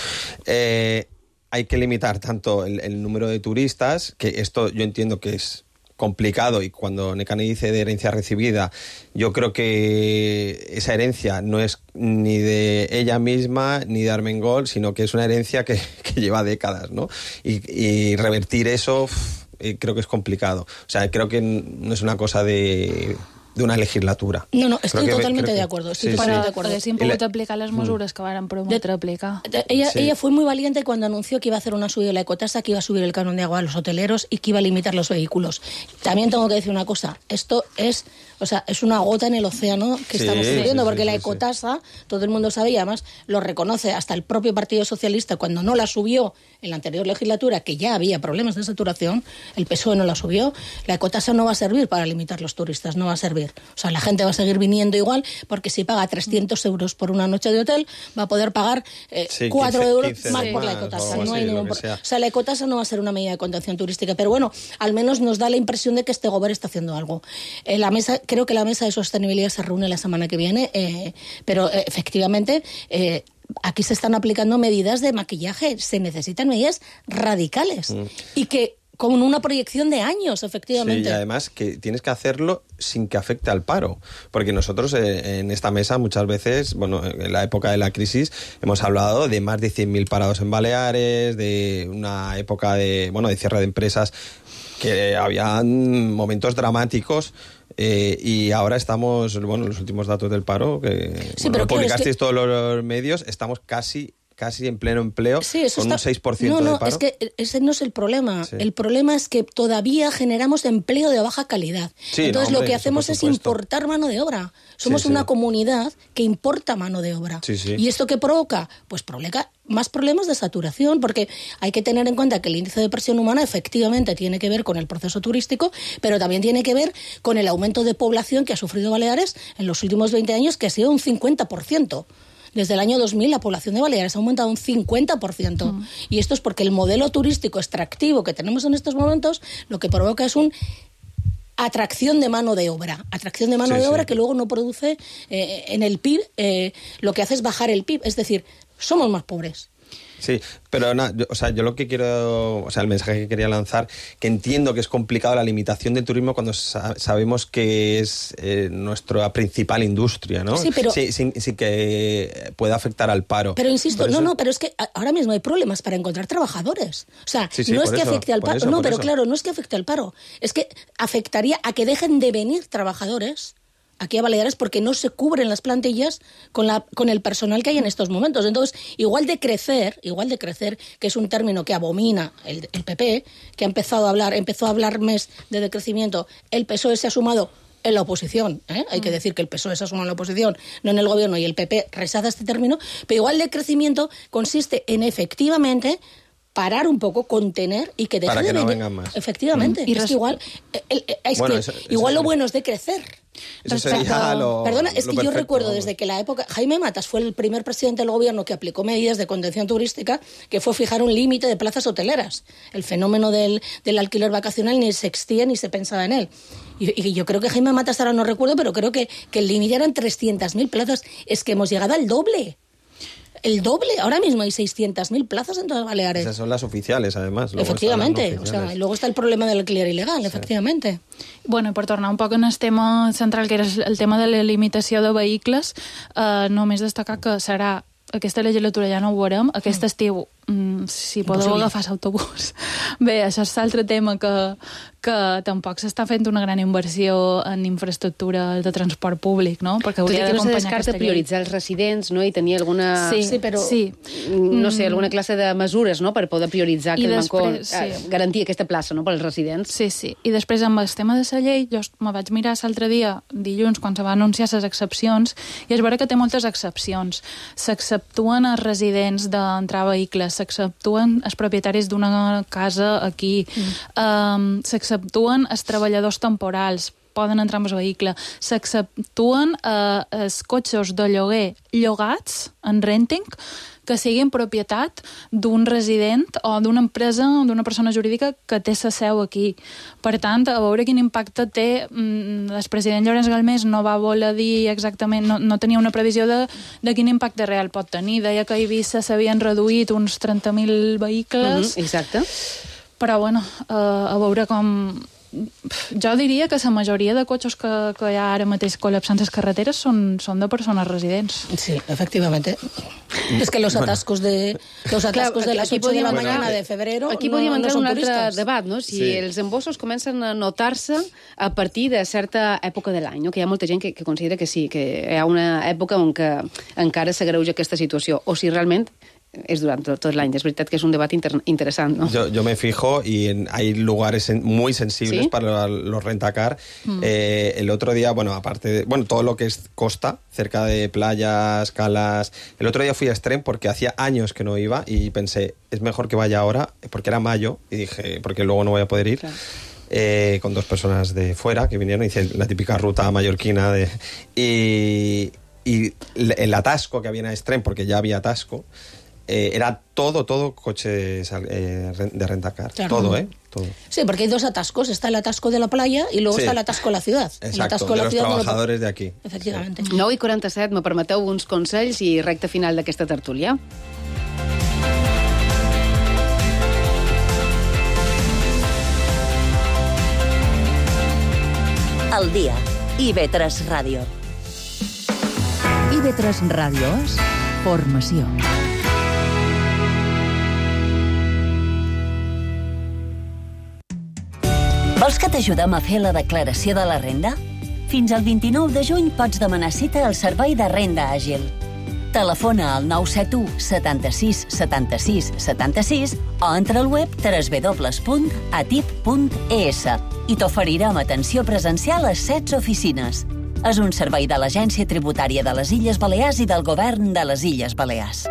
Hay que limitar tanto el número de turistas, que esto yo entiendo que es complicado, y cuando Nekane dice de herencia recibida, yo creo que esa herencia no es ni de ella misma ni de Armengol, sino que es una herencia que lleva décadas, ¿no? Y revertir eso creo que es complicado. O sea, creo que no es una cosa de una legislatura. No, estoy totalmente de acuerdo. Haguéssim pogut aplicar les mesures que varen prometre aplicar. Ella fue muy valiente cuando anunció que iba a hacer una subida de la ecotasa, que iba a subir el canon de agua a los hoteleros y que iba a limitar los vehículos. También tengo que decir una cosa, esto es una gota en el océano que estamos sufriendo, porque la ecotasa, todo el mundo sabe, y además lo reconoce hasta el propio Partido Socialista, cuando no la subió en la anterior legislatura, que ya había problemas de saturación, el PSOE no la subió, la ecotasa no va a servir para limitar los turistas, no va a servir. O sea, la gente va a seguir viniendo igual, porque si paga 300 euros por una noche de hotel, va a poder pagar 4 euros más por la ecotasa. No hay ningún problema. O sea, la ecotasa no va a ser una medida de contención turística, pero bueno, al menos nos da la impresión de que este gobierno está haciendo algo. Creo que la mesa de sostenibilidad se reúne la semana que viene, pero efectivamente aquí se están aplicando medidas de maquillaje, se necesitan medidas radicales y que con una proyección de años, efectivamente. Sí, y además que tienes que hacerlo sin que afecte al paro, porque nosotros en esta mesa muchas veces, en la época de la crisis, hemos hablado de más de 100.000 parados en Baleares, de una época de cierre de empresas, que habían momentos dramáticos. Y ahora estamos, los últimos datos del paro, que lo publicasteis todos los medios, estamos casi en pleno empleo, con un 6% de paro. Es que ese no es el problema. Sí. El problema es que todavía generamos empleo de baja calidad. Sí, entonces lo que hacemos es importar mano de obra. Somos una comunidad que importa mano de obra. Sí. ¿Y esto qué provoca? Pues provoca más problemas de saturación, porque hay que tener en cuenta que el índice de presión humana efectivamente tiene que ver con el proceso turístico, pero también tiene que ver con el aumento de población que ha sufrido Baleares en los últimos 20 años, que ha sido un 50%. Desde el año 2000 la población de Baleares ha aumentado un 50%. Y esto es porque el modelo turístico extractivo que tenemos en estos momentos lo que provoca es una atracción de mano de obra. Atracción de mano de obra que luego no produce en el PIB, lo que hace es bajar el PIB. Es decir, somos más pobres. Sí, pero yo lo que quiero, el mensaje que quería lanzar, que entiendo que es complicado la limitación del turismo cuando sabemos que es nuestra principal industria, ¿no? Sí, pero... Sí que puede afectar al paro. Pero insisto, pero es que ahora mismo hay problemas para encontrar trabajadores. O sea, no es que afecte al paro. No, pero claro, no es que afecte al paro. Es que afectaría a que dejen de venir trabajadores aquí a Baleares porque no se cubren las plantillas con el personal que hay en estos momentos. Entonces, igual de crecer, que es un término que abomina el PP, que empezó a hablar más de decrecimiento, el PSOE se ha sumado en la oposición, hay que decir que el PSOE se ha sumado en la oposición, no en el gobierno, y el PP rechaza este término, pero igual de crecimiento consiste en efectivamente parar un poco, contener y que deje para que de no venir. vengan más. Efectivamente. Y es que igual, igual lo bueno es decrecer. Eso sería Perdona, es lo que yo perfecto, recuerdo vamos. desde que la época... Jaime Matas fue el primer presidente del gobierno que aplicó medidas de contención turística, que fue fijar un límite de plazas hoteleras. El fenómeno del alquiler vacacional ni se existía ni se pensaba en él. Y yo creo que Jaime Matas, ahora no recuerdo, pero creo que el límite eran 300.000 plazas. Es que hemos llegado al doble. El doble. Ahora mismo hay 600.000 plazas en todas Baleares. Esas son las oficiales, además. Luego efectivamente. Y luego está el problema del alquiler ilegal, efectivamente. Bueno, i per tornar un poc en el tema central, que era el tema de la limitació de vehicles, només destacar que serà aquesta legislatura ja no ho veurem, aquest estiu, si podeu agafar l'autobús. Bé, això és l'altre tema que tampoc s'està fent una gran inversió en infraestructura de transport públic, no? Perquè hauria d'acompanyar aquesta llei. Tot i que no se descarta prioritzar els residents, no? I tenir alguna... no sé, alguna classe de mesures, no?, per poder prioritzar garantir aquesta plaça, no?, pels residents. Sí. I després, amb el tema de la llei, jo me vaig mirar l'altre dia, dilluns, quan se va anunciar les excepcions, i es veurà que té moltes excepcions. S'exceptuen els residents d'entrar a vehicles, s'exceptuen els propietaris d'una casa aquí, s'exceptuen els treballadors temporals, poden entrar amb el vehicle, s'exceptuen els cotxes de lloguer llogats en renting que siguin propietat d'un resident o d'una empresa o d'una persona jurídica que té la seu aquí. Per tant, a veure quin impacte té, el president Llorenç Galmés no va voler dir exactament, no tenia una previsió de quin impacte real pot tenir. Deia que a Eivissa s'havien reduït uns 30.000 vehicles. Exacte. Però, bueno, a veure com... Jo diria que la majoria de cotxes que hi ha ara mateix col·lapsant les carreteres són de persones residents. Sí, efectivamente. Es que los atascos de las 8 de la mañana de febrero aquí podríem entrar en un altre debat, no? Si els embossos comencen a notar-se a partir de certa època de l'any, no? Que hi ha molta gent que considera que sí, que hi ha una època on que encara s'agreuja aquesta situació, o si realment es durante todo el año. Es verdad que es un debate interesante, ¿no? Yo me fijo y hay lugares muy sensibles para los rentacar. El otro día, aparte de... todo lo que es costa, cerca de playas, calas... El otro día fui a Extrem porque hacía años que no iba y pensé, es mejor que vaya ahora, porque era mayo, y dije, porque luego no voy a poder ir. Claro. Con 2 personas de fuera que vinieron, hice la típica ruta mallorquina y el atasco que había en Extrem, porque ya había atasco, era todo coches de rentacar. Claro. Todo. Sí, porque hay 2 atascos. Está el atasco de la playa y luego está el atasco de la ciudad. Exacto, el atasco de los trabajadores de aquí. Efectivamente. 9:47, me permeteu uns consells i recta final d'aquesta tertúlia. Al dia. IB3 Ràdio. IB3 Ràdio és formació. Vols que t'ajudem a fer la declaració de la renda? Fins al 29 de juny pots demanar cita al Servei de Renda Àgil. Telefona al 971 76 76 76 o entra al web www.atip.es i t'oferirem atenció presencial a 16 oficines. És un servei de l'Agència Tributària de les Illes Balears i del Govern de les Illes Balears.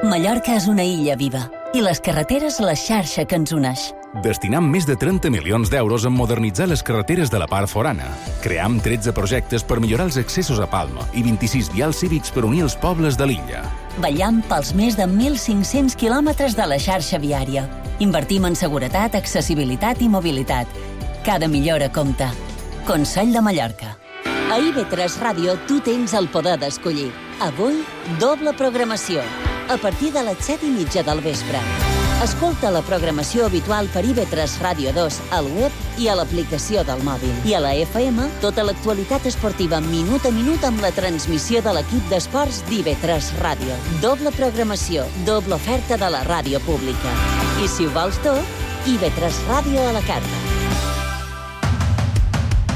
Mallorca és una illa viva i les carreteres la xarxa que ens uneix. Destinam més de 30 milions d'euros en modernitzar les carreteres de la part forana. Cream 13 projectes per millorar els accessos a Palma i 26 vials cívics per unir els pobles de l'illa. Vetllam pels més de 1.500 quilòmetres de la xarxa viària. Invertim en seguretat, accessibilitat i mobilitat. Cada millora compta. Consell de Mallorca. A IB3 Ràdio tu tens el poder d'escollir. Avui, doble programació. a partir de les 7:30 del vespre. Escolta la programació habitual per IB3 Ràdio 2 al web i a l'aplicació del mòbil. I a la FM, tota l'actualitat esportiva minut a minut amb la transmissió de l'equip d'esports d'IB3 Ràdio. Doble programació, doble oferta de la ràdio pública. I si ho vols tot, IB3 Ràdio a la carta.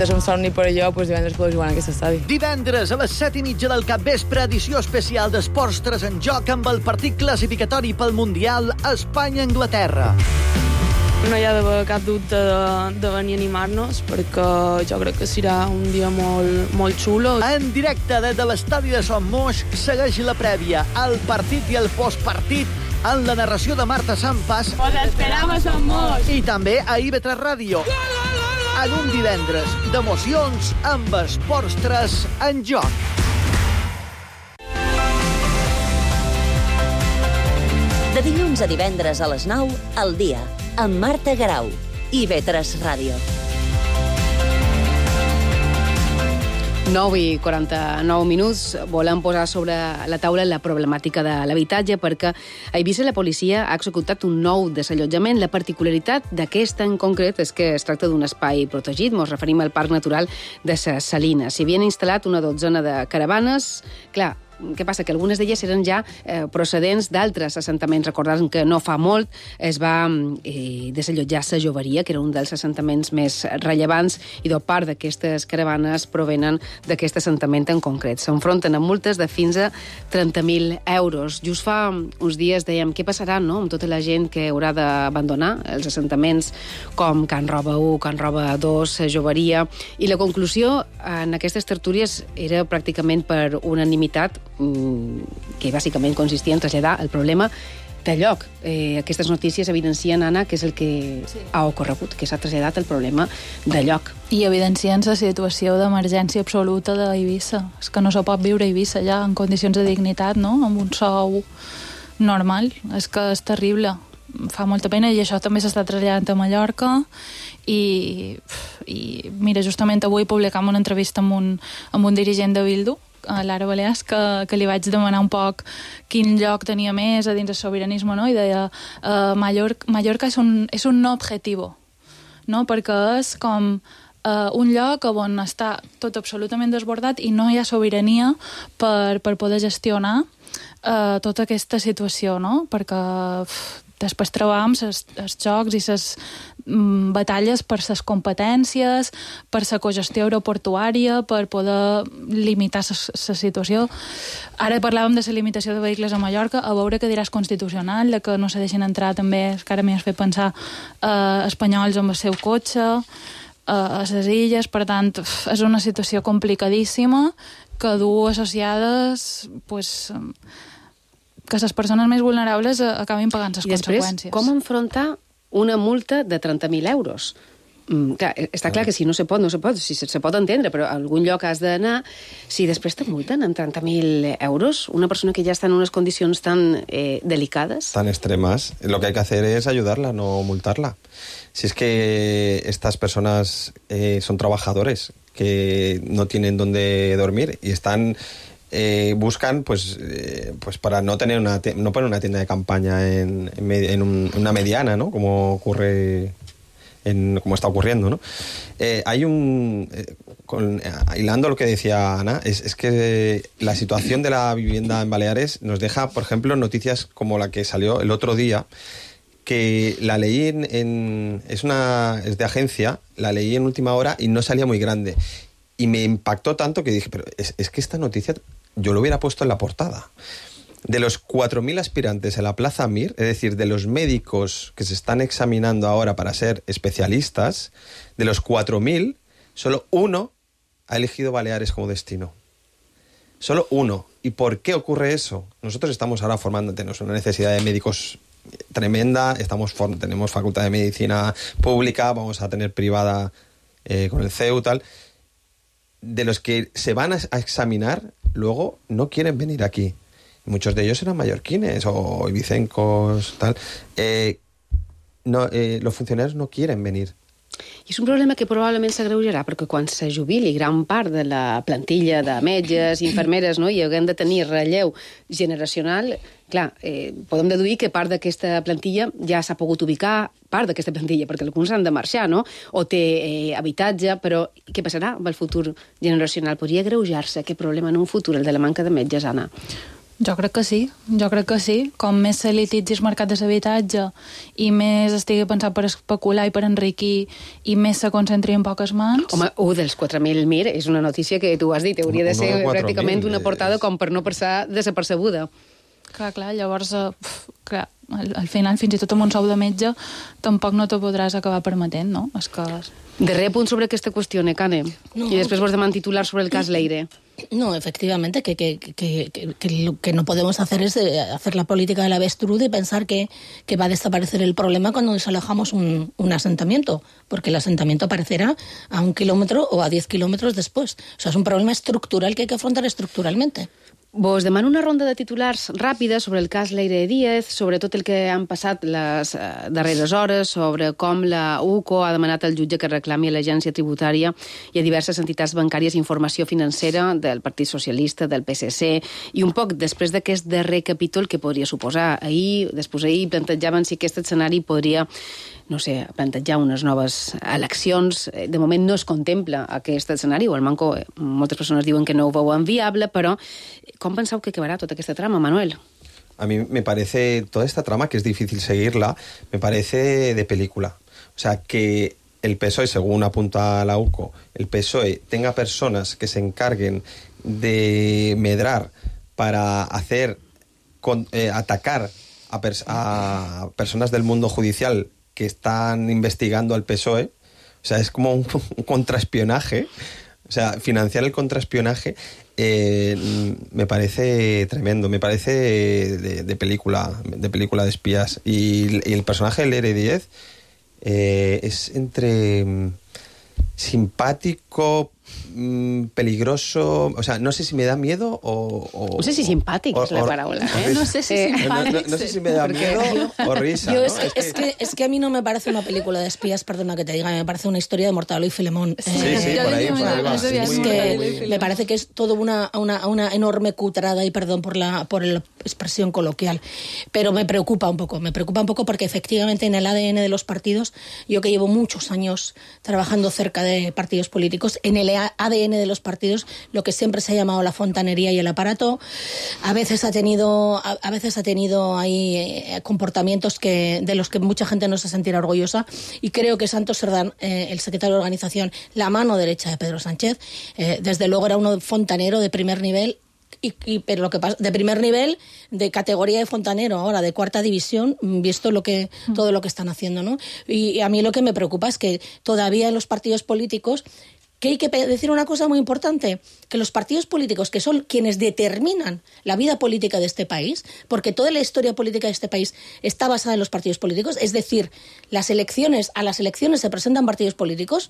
És un somni per allò, doncs divendres podeu jugar en aquest estadi. Divendres a les 7:30 del capvespre, edició especial d'Esports 3 en joc amb el partit classificatori pel Mundial Espanya-Anglaterra. No hi ha d'haver cap dubte de venir a animar-nos, perquè jo crec que serà un dia molt xulo. En directe des de l'estadi de Son Moix segueix la prèvia, el partit i el postpartit en la narració de Marta Sampas. Os esperamos, Son Moix! I també a IB3 Ràdio. En un divendres d'emocions amb Esports 3 en joc. De dilluns a divendres a les 9, al dia, amb Marta Garau, IB3 Ràdio. 9:49, volem posar sobre la taula la problemàtica de l'habitatge perquè a Eivissa la policia ha executat un nou desallotjament. La particularitat d'aquest en concret és que es tracta d'un espai protegit. Ens referim al Parc Natural de Ses Salines. S'hi havien instal·lat una dotzena de caravanes. Clar, què passa? Que algunes d'elles eren ja procedents d'altres assentaments. Recordem que no fa molt es va desallotjar Sa Joveria, que era un dels assentaments més rellevants, i part d'aquestes caravanes provenen d'aquest assentament en concret. S'enfronten amb multes de fins a 30.000 euros. Just fa uns dies dèiem què passarà, no?, amb tota la gent que haurà d'abandonar els assentaments com Can Roba 1, Can Roba 2, Sa Joveria, i la conclusió en aquestes tertúlies era pràcticament per unanimitat, que bàsicament consistia en traslladar el problema de lloc. Aquestes notícies evidencien, Anna, que és el que ha ocorregut, que s'ha traslladat el problema de lloc. I evidencien la situació d'emergència absoluta d'Eivissa. És que no se pot viure a Eivissa ja en condicions de dignitat, no?, amb un sou normal. És que és terrible. Fa molta pena, i això també s'està traslladant a Mallorca. I mira, justament avui publicam una entrevista amb un dirigent de Bildu, a Lara Balears, que li vaig demanar un poc quin lloc tenia més a dins del sobiranisme, no? I deia, Mallorca és un no objetivo, no? Perquè és com un lloc on està tot absolutament desbordat i no hi ha sobirania per poder gestionar tota aquesta situació, no? Perquè després trobam els jocs i les batalles per les competències, per la cogestió aeroportuària, per poder limitar la situació. Ara parlàvem de la limitació de vehicles a Mallorca, a veure què diràs Constitucional, de que no se deixin entrar també, que ara m'hi has fet pensar, espanyols amb el seu cotxe, a les illes. Per tant, és una situació complicadíssima que du associades, que les persones més vulnerables acabin pagant les conseqüències. I després, com enfrontar una multa de 30.000 euros? Clar, està clar que si no se pot, si se pot entendre, però a algun lloc has d'anar. Si després te multen en 30.000 euros, una persona que ja està en unes condicions tan delicades... Tan extremas, lo que hay que hacer es ayudarla, no multarla. Si es que estas personas son trabajadores que no tienen dónde dormir y están... buscan pues para no poner una tienda de campaña en una mediana, ¿no?, como ocurre como está ocurriendo, ¿no? Hay hilando lo que decía Ana, es que la situación de la vivienda en Baleares nos deja, por ejemplo, noticias como la que salió el otro día, que la leí es de agencia, la leí en última hora y no salía muy grande. Y me impactó tanto que dije, pero es que esta noticia yo lo hubiera puesto en la portada. De los 4.000 aspirantes en la Plaza Mir, es decir, de los médicos que se están examinando ahora para ser especialistas, de los 4.000, solo uno ha elegido Baleares como destino. Solo uno. ¿Y por qué ocurre eso? Nosotros estamos ahora formando, tenemos una necesidad de médicos tremenda, tenemos facultad de medicina pública, vamos a tener privada con el CEU, tal. De los que se van a examinar, luego no quieren venir aquí. Muchos de ellos eran mallorquines o ibicencos, tal. Los funcionarios no quieren venir. I és un problema que probablement s'agreujarà, perquè quan se jubili gran part de la plantilla de metges, infermeres, no? I haguem de tenir relleu generacional, clar, podem deduir que part d'aquesta plantilla ja s'ha pogut ubicar, part d'aquesta plantilla, perquè alguns han de marxar, no? O té habitatge, però què passarà amb el futur generacional? Podria agreujar-se aquest problema en un futur, el de la manca de metges, Anna? Jo crec que sí. Com més se lititzi el mercat de l'habitatge i més estigui pensat per especular i per enriquir i més se concentri en poques mans... Home, un dels 4.000, mir, és una notícia que tu has dit, hauria de ser pràcticament una portada com per no passar desapercebuda. Clar, llavors, al final, fins i tot amb un sou de metge, tampoc no t'ho podràs acabar permetent, no? És que... Darrer punt sobre aquesta qüestió, Necane. No, y después vos deman titular sobre el cas Leire. No, efectivamente, que lo que no podemos hacer es hacer la política del avestruz de pensar que va a desaparecer el problema cuando nos alejamos un asentamiento, porque el asentamiento aparecerá a 1 kilómetro o a 10 kilómetros después. O sea, es un problema estructural que hay que afrontar estructuralmente. Vos demano una ronda de titulars ràpida sobre el cas Leire Díaz, sobre tot el que han passat les darreres hores, sobre com la UCO ha demanat al jutge que reclami a l'agència tributària i a diverses entitats bancàries informació financera del Partit Socialista, del PSC, i un poc després d'aquest darrer capítol que podria suposar. Després ahir plantejaven si aquest escenari podria, no sé, plantejar unes noves eleccions. De moment no es contempla aquest escenari, o almenys moltes persones diuen que no ho veuen viable, però com penseu que acabarà tota aquesta trama, Manuel? A mí me parece toda esta trama, que es difícil seguirla, me parece de película. O sea, que el PSOE, según apunta la UCO, el PSOE tenga personas que se encarguen de medrar para atacar a personas del mundo judicial que están investigando al PSOE. O sea, es como un contraespionaje. O sea, financiar el contraespionaje me parece tremendo, me parece de película de espías. Y el personaje de Leire Díaz es entre simpático, peligroso, o sea, no sé si me da miedo o... No sé si simpàtic és la paraula, No sé si simpàtic. No sé si me da miedo o risa, ¿no? Es que a mí no me parece una película de espías, perdona que te diga, me parece una historia de Mortadelo y Filemón. Sí, por ahí va. Es que me parece que es todo una enorme cutrada, y perdón por la expresión coloquial, pero me preocupa un poco porque efectivamente en el ADN de los partidos, yo que llevo muchos años trabajando cerca de partidos políticos, en el ADN de los partidos, lo que siempre se ha llamado la fontanería y el aparato, a veces ha tenido ahí comportamientos de los que mucha gente no se sentirá orgullosa, y creo que Santos Cerdán, el secretario de organización, la mano derecha de Pedro Sánchez, desde luego era uno fontanero de primer nivel, pero lo que pasa, de primer nivel, de categoría de fontanero, ahora de 4ª división, visto todo lo que están haciendo, ¿no? Y a mí lo que me preocupa es que todavía en los partidos políticos, que hay que decir una cosa muy importante, que los partidos políticos, que son quienes determinan la vida política de este país, porque toda la historia política de este país está basada en los partidos políticos, es decir, a las elecciones se presentan partidos políticos,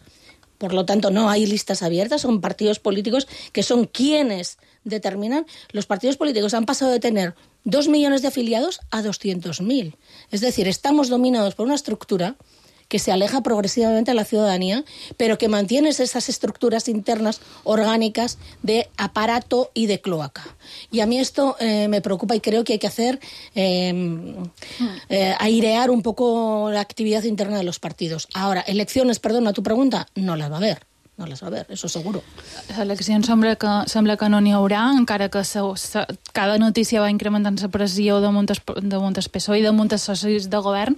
por lo tanto no hay listas abiertas, son partidos políticos que son quienes determinan. Los partidos políticos han pasado de tener 2 millones de afiliados a 200.000. Es decir, estamos dominados por una estructura que se aleja progresivamente a la ciudadanía, pero que mantiene esas estructuras internas orgánicas de aparato y de cloaca. Y a mí esto me preocupa, y creo que hay que hacer airear un poco la actividad interna de los partidos. Ahora, elecciones, perdona tu pregunta, no las va a haver. No les va haver, això seguro. Eleccions sembla que no n'hi haurà, encara que cada notícia va incrementant la pressió de moltes PSOE i de moltes socis de govern.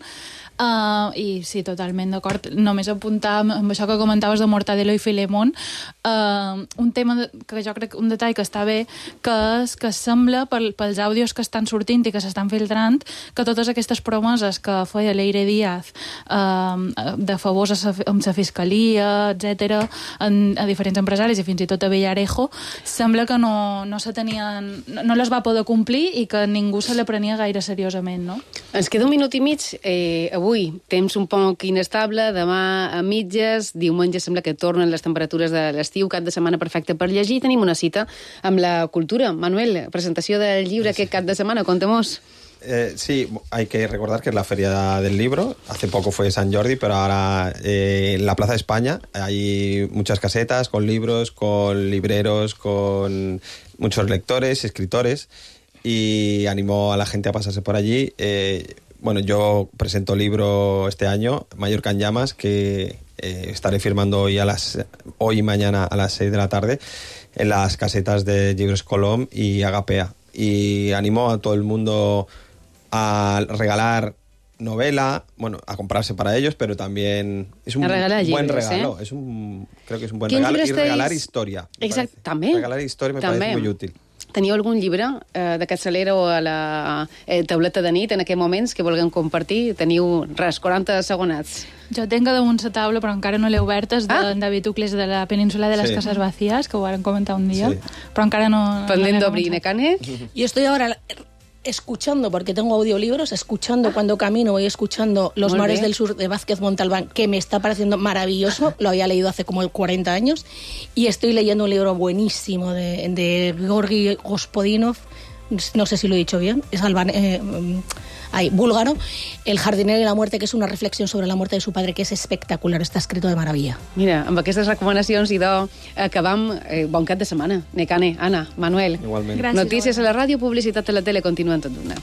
I sí, totalment d'acord. Només apuntar amb això que comentaves de Mortadelo i Filemón, un tema que jo crec, un detall que està bé, que és que sembla, pels àudios que estan sortint i que s'estan filtrant, que totes aquestes promeses que feia Leire Díaz de favors amb la fiscalia, etc., a diferents empresaris i fins i tot a Villarejo, sembla que no les va poder complir i que ningú se la prenia gaire seriosament, no? Ens queda 1 minut i mig. Avui temps un poc inestable, demà a mitges, diumenge sembla que tornen les temperatures de l'estiu, cap de setmana perfecte per llegir. Tenim una cita amb la cultura. Manuel, presentació del llibre aquest cap de setmana, conta-mos. Sí, hay que recordar que es la Feria del Libro. Hace poco fue San Jordi, pero ahora en la Plaza de España hay muchas casetas con libros, con libreros, con muchos lectores, escritores, y animo a la gente a pasarse por allí. Bueno, yo presento libro este año, Mallorca en llamas, que estaré firmando hoy y mañana a las 6 de la tarde en las casetas de Llibres Colom y Agapea. Y animo a todo el mundo a regalar novela, bueno, a comprarse para ellos, pero también es un buen regalo. Creo que es un buen regalo. Y regalar historia. Exacte, també. Regalar historia me parece muy útil. Teniu algun llibre d'aquest Salera o a la tauleta de nit en aquests moments que vulguem compartir? Teniu, 40 segonats. Jo tenc damunt la taula, però encara no l'he oberta, és de David Ucles de la península de las Casas Vacías, que ho vam comentar un dia, però encara no... Pendent d'obrir, Nekane? Yo estoy ahora escuchando, porque tengo audiolibros, escuchando cuando camino, voy escuchando Los mares del sur de Vázquez Montalbán, que me está pareciendo maravilloso, lo había leído hace como 40 años, y estoy leyendo un libro buenísimo de Georgi Gospodinov, no sé si lo he dicho bien, es búlgaro, El jardinero y la muerte, que es una reflexión sobre la muerte de su padre, que es espectacular, está escrito de maravilla. Mira, amb aquestes recomanacions, idò, acabam. Bon cap de setmana. Nekane, Anna, Manuel. Igualment. Gràcies. Notícies a la ràdio, publicitat a la tele, continuen tot d'una.